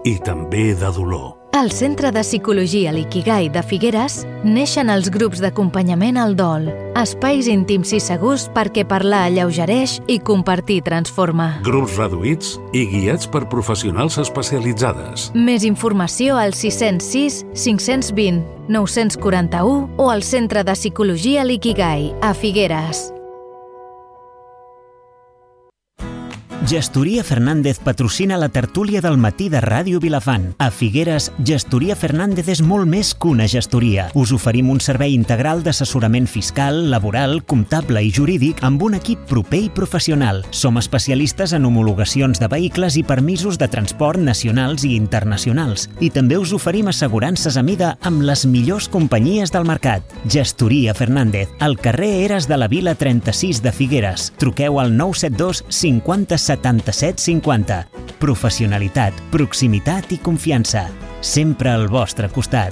i també de dolor. Al Centre de Psicologia Likigai de Figueres neixen els grups d'acompanyament al dol, espais íntims i segurs perquè parlar alleugereix i compartir transforma. Grups reduïts i guiats per professionals especialitzades. Més informació al sis zero sis, cinc dos zero, nou quatre u o al Centre de Psicologia Likigai a Figueres. Gestoria Fernández patrocina la tertúlia del matí de Ràdio Vilafant. A Figueres, Gestoria Fernández és molt més que una gestoria. Us oferim un servei integral d'assessorament fiscal, laboral, comptable i jurídic amb un equip proper i professional. Som especialistes en homologacions de vehicles i permisos de transport nacionals i internacionals. I també us oferim assegurances a mida amb les millors companyies del mercat. Gestoria Fernández, al carrer Eres de la Vila trenta-sis de Figueres. Truqueu al nou set dos cinquanta setanta-set cinquanta. Professionalitat, proximitat i confiança. Sempre al vostre costat.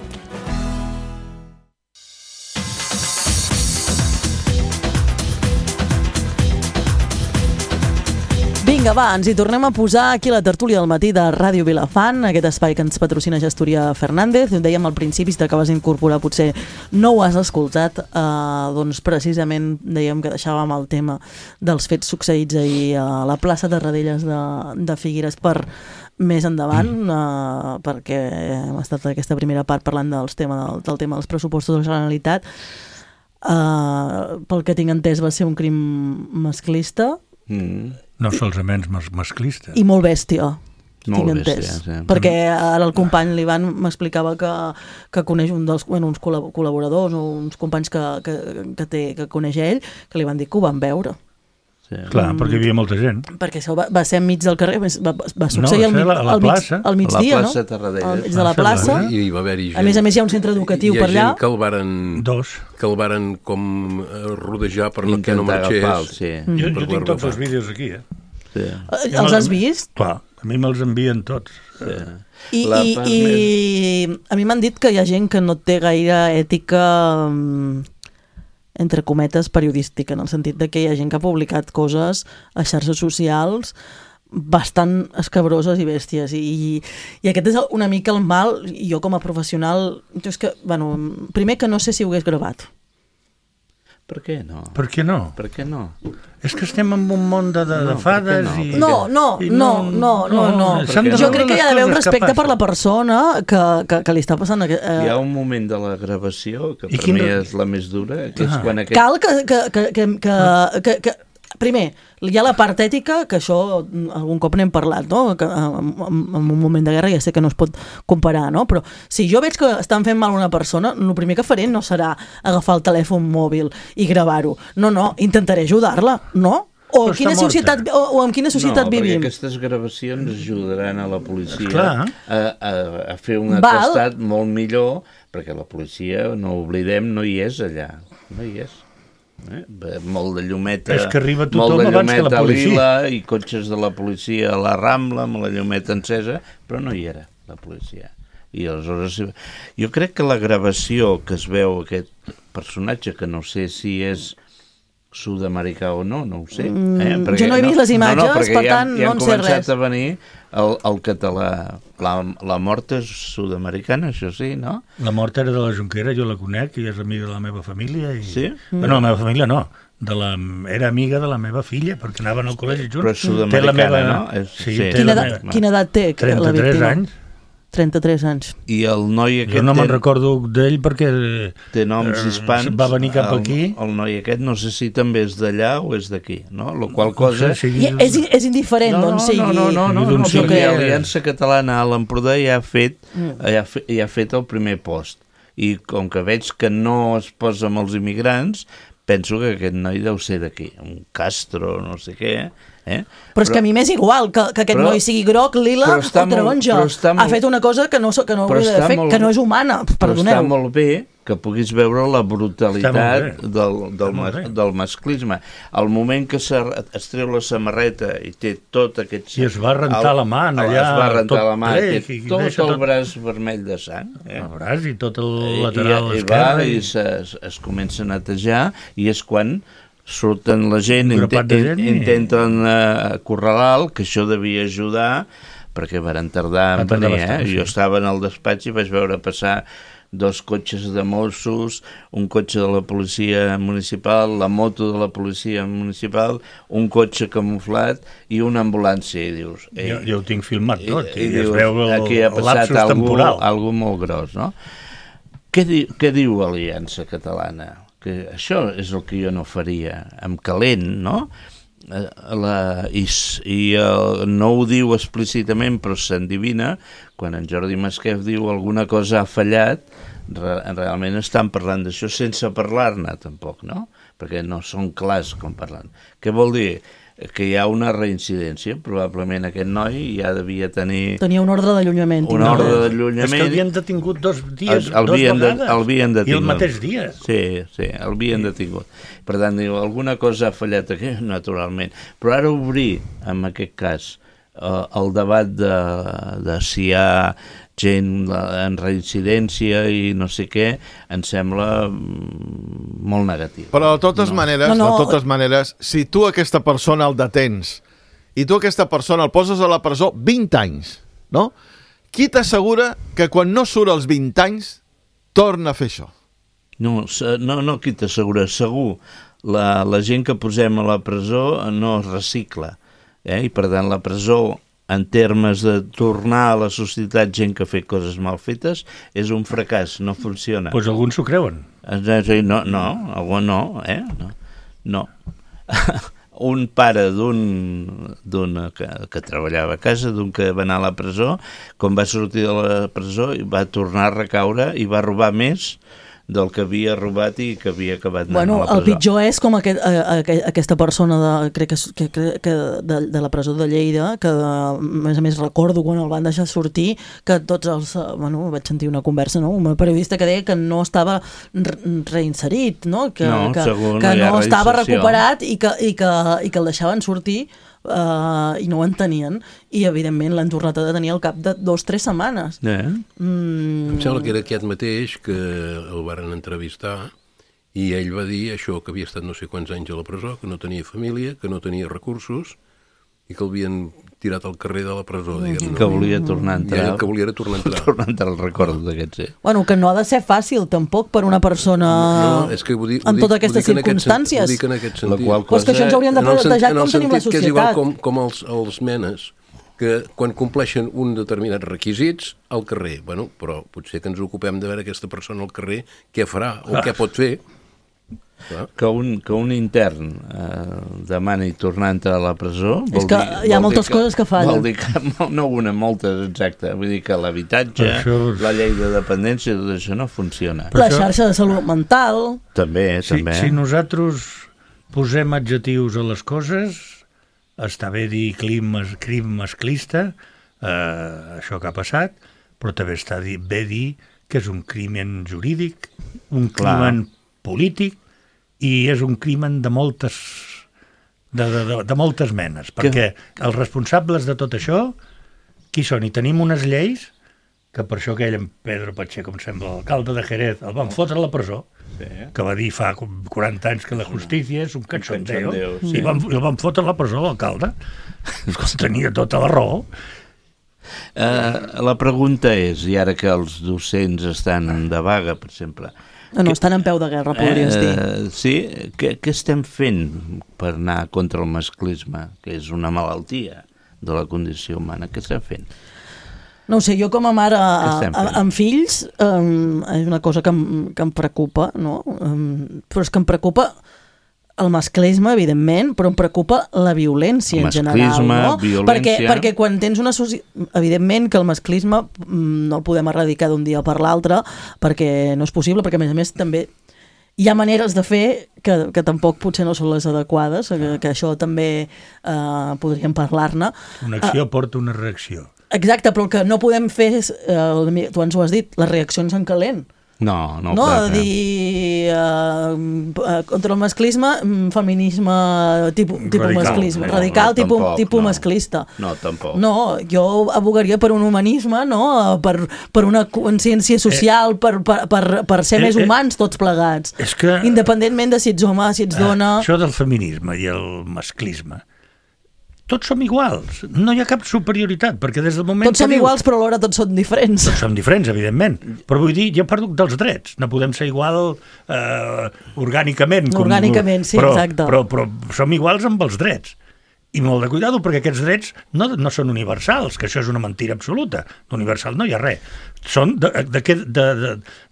Vinga, va, ens hi tornem a posar aquí a la tertúlia del matí de Ràdio Vilafant, aquest espai que ens patrocina Gestoria Fernández. Ho dèiem al principi, si t'acabes d'incorporar potser no ho has escoltat, eh, doncs precisament dèiem que deixàvem el tema dels fets succeïts ahir a la plaça de Radelles de, de Figueres per més endavant, eh, perquè hem estat aquesta primera part parlant dels tema, del, del tema dels pressupostos de la Generalitat. Uh, pel que tinc entès va ser un crim masclista mm. no solament mas masclista i molt bèstia, molt tinc bèstia, entès sí. Perquè ara el company l'Ivan m'explicava que, que coneix un dels, bueno, uns col·laboradors o uns companys que, que, que, té, que coneix ell, que li van dir que ho van veure. Sí. Clar, mm. perquè hi havia molta gent. Perquè això va, va ser enmig del carrer, va, va succeir no, al, mig, la, la al, mig, plaça. al migdia, no? no? Al mig de la plaça. I hi va haver-hi gent. A més a més hi ha un centre educatiu per allà. Hi ha gent que el varen, Dos. que el varen com rodejar per no, que no marxés. Agafar, sí. mm. Jo, jo tinc tots els vídeos aquí, eh? Sí. Els has vist? Clar, a mi me'ls envien tots. Sí. I, i, i més... a mi m'han dit que hi ha gent que no té gaire ètica... entre cometes, periodística, en el sentit de que hi ha gent que ha publicat coses a xarxes socials bastant escabroses i bèsties, i, i aquest és una mica el mal. Jo com a professional, és que, bueno, primer que no sé si ho hagués gravat. Per què no? Per què no? Per què no? És que estem en un món de, de, no, de fades no? i... No, no, i no, no, no, no. no. Jo crec que hi ha d'haver un respecte per la persona que, que, que li està passant... Eh... Hi ha un moment de la gravació que I per mi no... és la més dura, que és ah. quan aquest... Cal que... que, que, que, que, que, que primer, hi ha la part ètica, que això algun cop n'hem parlat, no? Que en, en un moment de guerra ja sé que no es pot comparar, no? Però si jo veig que estan fent mal a una persona, el primer que faré no serà agafar el telèfon mòbil i gravar-ho. No, no, intentaré ajudar-la, no? O, quina societat, o, o en quina societat no, vivim? No, perquè aquestes gravacions ajudaran a la policia Esclar. a, a, a fer un atestat Val. molt millor, perquè la policia, no oblidem, no hi és allà, no hi és. Eh? Molt de llumeta, és que arriba molt tothom de abans que la policia. lila i cotxes de la policia a la Rambla amb la llumeta encesa, però no hi era la policia. I aleshores jo crec que la gravació que es veu aquest personatge, que no sé si és sud-americà o no, no ho sé. Eh? Perquè, jo no he vist no, les imatges, no, no, per ja, tant ja no en sé res. Ja han començat a venir el, el català. La, la mort és sud-americana, això sí, no? La mort era de la Junquera, jo la conec, i és amiga de la meva família. I... Sí? Bueno, la meva família no. De la... Era amiga de la meva filla, perquè anaven al col·legi junts. Però és sud-americana, meva... no? És... Sí, sí. Quina, edat, meva... quina edat té la víctima? trenta-tres anys. trenta-tres anys. I el noi aquest... Jo no me'n recordo d'ell perquè... Té noms hispans. Va venir cap el, aquí. El noi aquest no sé si també és d'allà o és d'aquí, no? La qual cosa... No sé, sigui... és, és indiferent, no, doncs, sigui... No, no, no, no, no, no sí perquè l'Aliança Catalana a l'Empordà ja ha fet, mm. ja, ja ha fet el primer post. I com que veig que no es posa amb els immigrants, penso que aquest noi deu ser d'aquí, un Castro, no sé què, eh? Però és però, que a mi m'és igual que, que aquest però, noi sigui groc, lila o taronja. Molt, ha fet una cosa que no, que no hauria de fer, molt, que no és humana, perdoneu. Però està molt bé que puguis veure la brutalitat del, del, mas, del masclisme. Al moment que es treu la samarreta i té tot aquest... I es va rentar el, la mà allà, es va rentar la mà, ple, té tot el tot... braç vermell de sang. Eh? El braç i tot el lateral I, esquerre. I, i, i se, es comença a netejar i és quan surten la gent, int gent intenten uh, acorralar, que això devia ajudar, perquè varen tardar en venir, eh? Sí. Jo estava en el despatx i vaig veure passar dos cotxes de Mossos, un cotxe de la policia municipal, la moto de la policia municipal, un cotxe camuflat i una ambulància, i dius... Ei, jo, jo ho tinc filmat tot, i, i, i dius, es veu el, aquí ha el passat lapsus algú, temporal. Algú molt gros, no? Què, di, què diu Aliança Catalana? Que això és el que jo no faria, amb calent, no? La, i i uh, no ho diu explícitament, però s'endivina, quan en Jordi Masquef diu alguna cosa ha fallat, re, realment estan parlant d'això sense parlar-ne tampoc, no? Perquè no són clars com parlant. Què vol dir? Que hi ha una reincidència, probablement aquest noi ja devia tenir... Tenia un ordre d'allunyament. Un ordre d'allunyament. És que l'havien detingut dos dies, el, el dos vegades, de, el detingut. I el mateix dia. Sí, sí, el havien sí. detingut. Per tant, diu, alguna cosa ha fallat aquí, naturalment. Però ara obrir, en aquest cas, uh, el debat de, de si hi ha gent en reincidència i no sé què, em sembla molt negatiu. Però de totes no. maneres, no, no. de totes maneres, si tu aquesta persona el detens i tu aquesta persona el poses a la presó vint anys, no? Qui t'assegura que quan no surt als vint anys torna a fer això? No, no, no qui t'assegura, segur. La, la gent que posem a la presó no es recicla, eh? I per tant la presó, en termes de tornar a la societat gent que ha fet coses mal fetes, és un fracàs, no funciona. Doncs pues alguns s'ho creuen. No, no, algú no, eh? No. no. Un pare d'un, d'un que, que treballava a casa, d'un que va anar a la presó, quan va sortir de la presó va tornar a recaure i va robar més del que havia robat i que havia acabat anant bueno, a la presó. El pitjor és com aquest, a, a, aquesta persona de, crec que, que, que de, de la presó de Lleida, que a més a més recordo quan el van deixar sortir, que tots els... Bueno, vaig sentir una conversa, no? Un periodista que deia que no estava reinserit, no? Que no, que, segur, que no, no estava recuperat i que, i, que, i que el deixaven sortir Uh, i no ho entenien i evidentment l'han tornat a detenir al cap de dos o tres setmanes. Eh? Mm. Em sembla que era aquest mateix que el varen entrevistar i ell va dir això, que havia estat no sé quants anys a la presó, que no tenia família, que no tenia recursos i que el havien tirat al carrer de la presó, diguem. I que volia tornar a entrar. I el que volia era tornar a entrar. Tornar a entrar al record d'aquests, eh? Bueno, que no ha de ser fàcil, tampoc, per una persona no, és que ho dic, en totes aquestes ho dic circumstàncies. Ho dic en aquest sentit. Cosa... Pues que això ens hauríem de plantejar com tenim la societat. Que és igual com, com els, els menes, que quan compleixen un determinats requisits al carrer, bueno, però potser que ens ocupem de veure aquesta persona al carrer què farà o ah. què pot fer. Que un, que un intern eh, demani tornar a entrar a la presó vol és que dir, hi ha moltes que, coses que fallen. Vol dir que, no una, moltes, exacte. Vull dir que l'habitatge, això... la llei de dependència, tot això no funciona. La xarxa de salut mental... També, si, també. Si nosaltres posem adjectius a les coses, està bé dir crim, crim masclista, eh, això que ha passat, però també està bé dir que és un crimen jurídic, un crimen polític, i és un crimen de moltes de, de, de, de moltes menes, perquè que... els responsables de tot això, qui són? I tenim unes lleis que per això aquell en Pedro Pacheco, com sembla, l'alcalde de Jerez, el van fotre a la presó, sí. que va dir fa quaranta anys que la justícia és un cachondeo, sí. i van, el van fotre a la presó l'alcalde. Tenia tota la raó. Uh, la pregunta és, i ara que els docents estan de vaga, per exemple... No, no, estan en peu de guerra, podries dir. Eh, sí? Què, què estem fent per anar contra el masclisme, que és una malaltia de la condició humana? Què estem fent? No ho sé, jo com a mare a, a, amb fills um, és una cosa que em, que em preocupa, no? Um, però és que em preocupa el masclisme, evidentment, però em preocupa la violència en general, no? Violència... Perquè, perquè quan tens una societat... Evidentment que el masclisme no el podem erradicar d'un dia per l'altre, perquè no és possible, perquè a més a més també hi ha maneres de fer que, que tampoc potser no són les adequades, que, que això també eh, podríem parlar-ne. Una acció uh, porta una reacció. Exacte, però el que no podem fer és, eh, tu ens ho has dit, les reaccions en calent. No, no. No, a dir, uh, contra el masclisme, feminisme tipus, tipus radical, masclisme, no, radical, no, tipus, tampoc, tipus no. masclista. No, tampoc. No, jo abogaria per un humanisme, no? per, per una consciència social, per, per, per, per ser eh, més humans tots plegats. És que, independentment de si ets home, si ets dona... Això del feminisme i el masclisme, tots som iguals, no hi ha cap superioritat, perquè des del moment... Tots som dius, iguals, però alhora tots són diferents. Tots som diferents, evidentment, però vull dir, jo parlo dels drets, no podem ser igual eh, orgànicament. Orgànicament, com, sí, però, exacte. Però, però, però som iguals amb els drets. I molt de cuidado, perquè aquests drets no, no són universals, que això és una mentira absoluta. D'universal no hi ha res. Són de, de, què, de, de,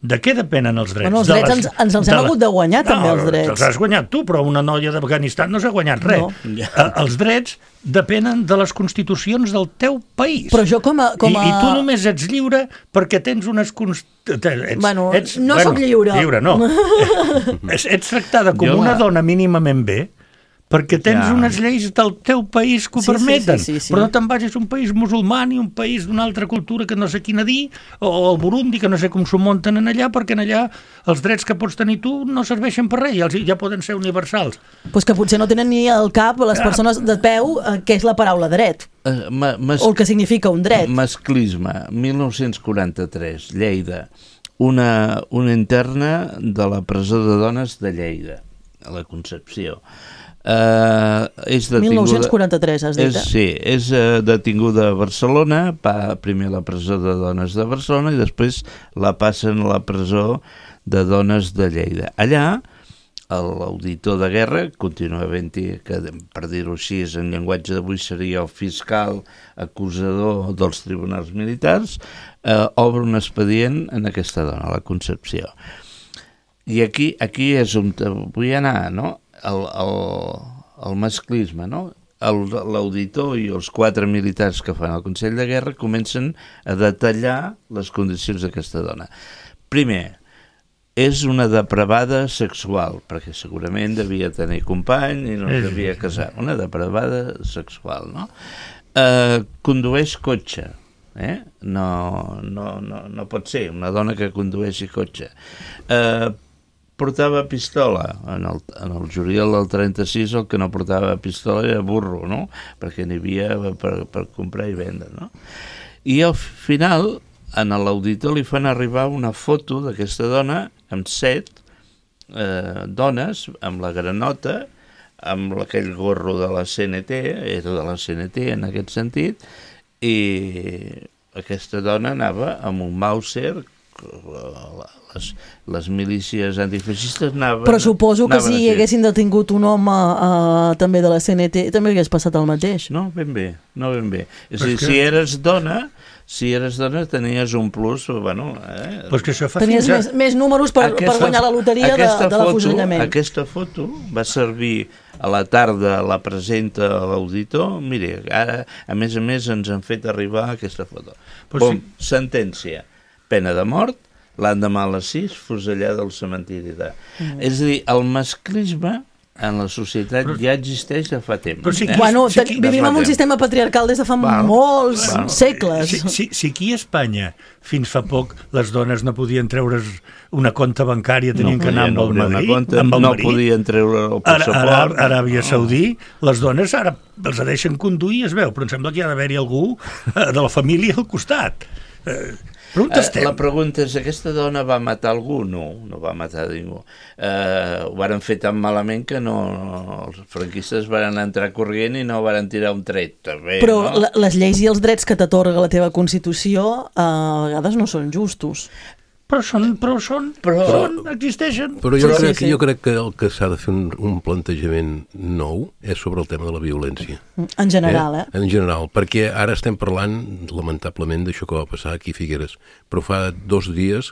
de què depenen els drets? Bueno, els drets les, ens, ens els hem la... hagut de guanyar, no, també, els drets. Els has guanyat tu, però una noia d'Afganistan no s'ha guanyat res. No. Eh, els drets depenen de les constitucions del teu país. Però jo com a... Com a... I, I tu només ets lliure perquè tens unes... Const... Ets, bueno, ets, no bueno, soc lliure. Lliure, no. ets, ets tractada com jo una la... dona mínimament bé, perquè tens ja. unes lleis del teu país que ho sí, permeten, sí, sí, sí, sí. però no te'n vagis a un país musulmà ni un país d'una altra cultura que no sé quina dir, o el Burundi, que no sé com s'ho munten en allà, perquè en allà els drets que pots tenir tu no serveixen per res, ja, ja poden ser universals. Pues que potser no tenen ni al cap les persones de peu eh, què és la paraula dret, uh, ma, mas, o el que significa un dret. Masclisme, mil nou-cents quaranta-tres, Lleida, una, una interna de la presó de dones de Lleida, a la Concepció. Uh, és detinguda, mil nou-cents quaranta-tres, has dit, és, eh? Sí, és uh, detinguda a Barcelona, va primer a la presó de dones de Barcelona i després la passen a la presó de dones de Lleida. Allà, l'auditor de guerra, continua havent-hi, que per dir-ho així, en llenguatge d'avui seria el fiscal acusador dels tribunals militars, uh, obre un expedient en aquesta dona, la Concepció. I aquí, aquí és on vull anar, no? El, el, el masclisme, no? L'auditor i els quatre militars que fan el Consell de Guerra comencen a detallar les condicions d'aquesta dona. Primer, és una depravada sexual, perquè segurament devia tenir company i no es devia casar. Una depravada sexual, no? Eh, condueix cotxe, eh? No, no, no, no pot ser una dona que condueixi cotxe. Eh, portava pistola. En el, en el juliol del trenta-sis el que no portava pistola era burro, no? Perquè n'hi havia per, per comprar i vendre, no? I al final, en l'auditor li fan arribar una foto d'aquesta dona amb set eh, dones, amb la granota, amb aquell gorro de la C N T, era de la C N T en aquest sentit, i aquesta dona anava amb un Mauser, les, les milícies antifeixistes anaven... Però suposo que anaven si així. haguessin detingut un home uh, també de la C N T també hagués passat el mateix. No, ben bé, no ben bé. És a dir, que... si eres dona, si eres dona tenies un plus, bueno... Eh? Pues que això fa Tenies fins a... més, més números per, aquesta, per guanyar la loteria de, de l'afusellament. Aquesta foto va servir a la tarda, la presenta a l'auditor, mire, ara, a més a més, ens han fet arribar aquesta foto. Pues Bom, sí. Sentència, pena de mort, l'endemà a les sis, fusellada al cementiri de... Mm. És a dir, el masclisme en la societat però, ja existeix de fa temps. Però si aquí, eh? Bueno, si aquí, vivim en un sistema patriarcal des de fa bueno, molts bueno, segles. Si, si, si aquí a Espanya fins fa poc les dones no podien treure's una compta bancària, tenien no que anar amb el marit, compte, amb el no marit. podien treure el passaport. Ara, ara, Aràbia Saudí, les dones ara els deixen conduir, es veu, però em sembla que hi ha d'haver-hi algú de la família al costat. Eh, Uh, la pregunta és, aquesta dona va matar algú? No, no va matar ningú. Uh, ho varen fer tan malament que no, no, els franquistes van entrar corrient i no van tirar un tret. També, però no? la, les lleis i els drets que t'atorga la teva Constitució uh, a vegades no són justos. Però són, però són, però, són existeixen. Però jo, però crec, sí, sí. jo crec que el que s'ha de fer un, un plantejament nou és sobre el tema de la violència. En general, eh? eh? En general, perquè ara estem parlant, lamentablement, d'això que va passar aquí a Figueres. Però fa dos dies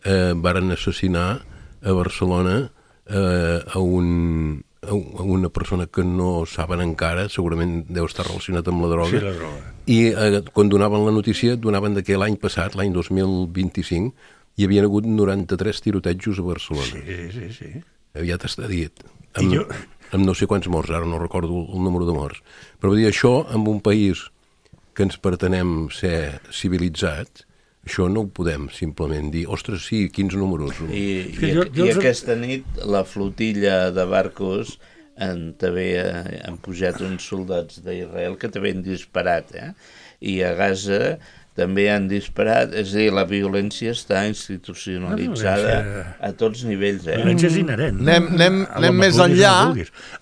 eh, varen assassinar a Barcelona eh, a, un, a una persona que no saben encara, segurament deu estar relacionat amb la droga. Sí, la droga. I eh, quan donaven la notícia, donaven que l'any passat, l'any dos mil vint-i-cinc, hi havia hagut noranta-tres tirotejos a Barcelona. Sí, sí, sí. Aviat està dit. Amb, jo... amb no sé quants morts, ara no recordo el número de morts. Però vull dir, això, en un país que ens pretenem ser civilitzats, això no ho podem simplement dir, ostres, sí, quins números. I, i, jo, jo... i aquesta nit la flotilla de barcos en, també han pujat uns soldats d'Israel que també han disparat, eh? I a Gaza també han disparat, és a dir, la violència està institucionalitzada violència... a tots nivells. Eh? La violència és inherent. Anem, anem, anem més enllà.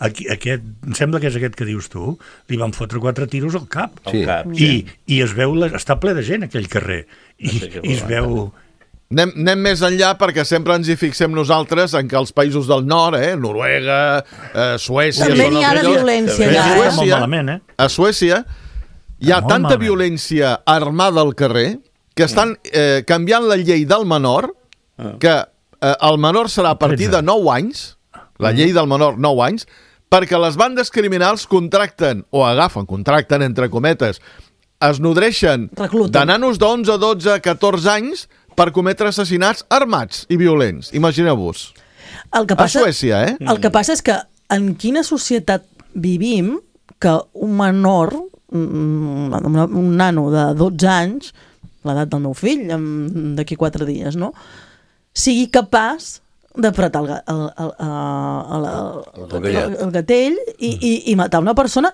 Aquí, aquest, em sembla que és aquest que dius tu, li van fotre quatre tiros al cap. Sí. Al cap, I, sí. I es veu, la, està ple de gent aquell carrer. I, no sé i es veu... Anem, anem més enllà perquè sempre ens hi fixem nosaltres en que els països del nord, eh, Noruega, eh, Suècia... També n'hi ha de violència allà, eh? Suècia, malament, eh? A Suècia hi ha molt tanta malament. violència armada al carrer que estan eh, canviant la llei del menor, que eh, el menor serà a partir de nou anys, la llei del menor nou anys, perquè les bandes criminals contracten, o agafen, contracten entre cometes, es nodreixen de nanos d'onze, dotze, catorze anys per cometre assassinats armats i violents. Imagineu-vos. A Suècia, eh? El que passa és que en quina societat vivim que un menor, un, un nano de dotze anys, l'edat del meu fill, d'aquí quatre dies, no?, sigui capaç d'apretar el, el, el, el, el, el, el gatell i, i, i matar una persona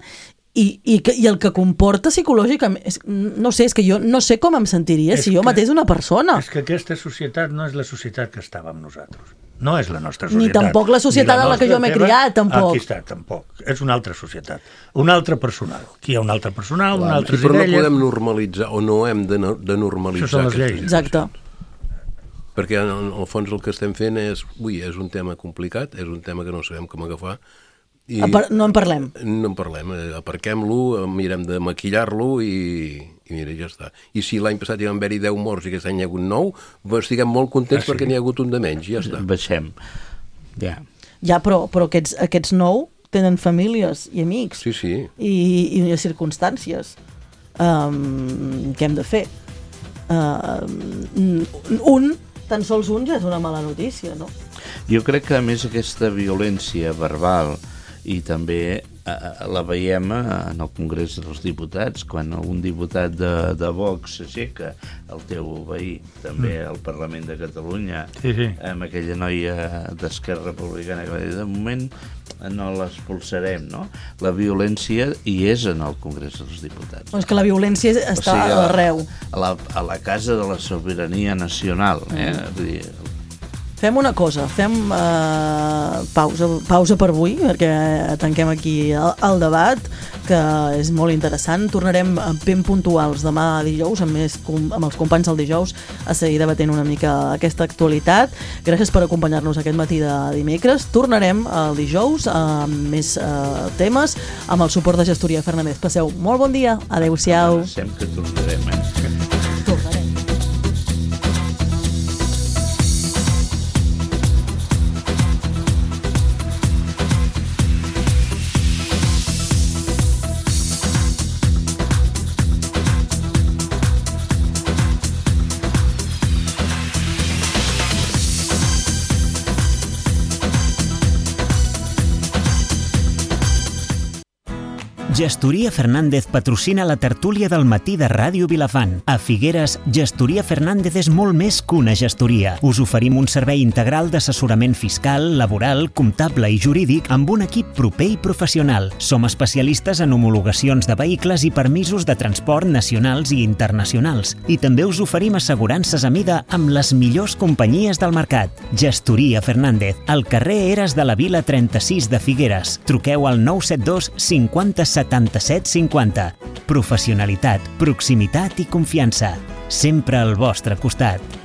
i, i, i el que comporta psicològicament, no sé, és que jo no sé com em sentiria és si jo matés una persona. És que aquesta societat no és la societat que estàvem nosaltres. No és la nostra societat. Ni tampoc la societat en la que jo m'he criat, tampoc. Aquí està, tampoc. És una altra societat. Un altre personal. Aquí hi ha un altre personal, una altra sí, però idees... no podem normalitzar, o no hem de, de normalitzar. Això són les lleis. Exacte. Perquè en el fons el que estem fent és, ui, és un tema complicat, és un tema que no sabem com agafar. I no en parlem. No en parlem. Aparquem-lo, mirem de maquillar-lo i, i mira, ja està. I si l'any passat hi van haver-hi deu morts i aquest any hi ha hagut nou, estiguem molt contents ah, sí. perquè n'hi ha hagut un de menys, ja està. Baixem. Ja. Ja, però, però aquests, aquests nou tenen famílies i amics. Sí, sí. I, i circumstàncies. Um, què hem de fer? Uh, un, tan sols un ja és una mala notícia, no? Jo crec que a més aquesta violència verbal i també eh, la veiem en el Congrés dels Diputats, quan un diputat de, de Vox s'aixeca, el teu veí, també mm. al Parlament de Catalunya, sí, sí. amb aquella noia d'Esquerra Republicana que va dir, de moment no l'expulsarem, no? La violència hi és en el Congrés dels Diputats. És que la violència està o sigui, arreu. A la, a la casa de la sobirania nacional, eh? Mm. Vull dir, fem una cosa, fem uh, pausa, pausa per avui, perquè tanquem aquí el, el debat, que és molt interessant. Tornarem ben puntuals demà dijous, amb, més, amb els companys del dijous, a seguir debatent una mica aquesta actualitat. Gràcies per acompanyar-nos aquest matí de dimecres. Tornarem el dijous amb més uh, temes, amb el suport de Gestoria Fernández. Passeu molt bon dia. Adéu-siau. Sempre tornarem, eh? Tornarem. Gestoria Fernández patrocina la tertúlia del matí de Ràdio Vilafant. A Figueres, Gestoria Fernández és molt més que una gestoria. Us oferim un servei integral d'assessorament fiscal, laboral, comptable i jurídic amb un equip proper i professional. Som especialistes en homologacions de vehicles i permisos de transport nacionals i internacionals. I també us oferim assegurances a mida amb les millors companyies del mercat. Gestoria Fernández, al carrer Eres de la Vila trenta-sis de Figueres. Truqueu al nou set dos cinquanta setanta-set cinquanta. Professionalitat, proximitat i confiança. Sempre al vostre costat.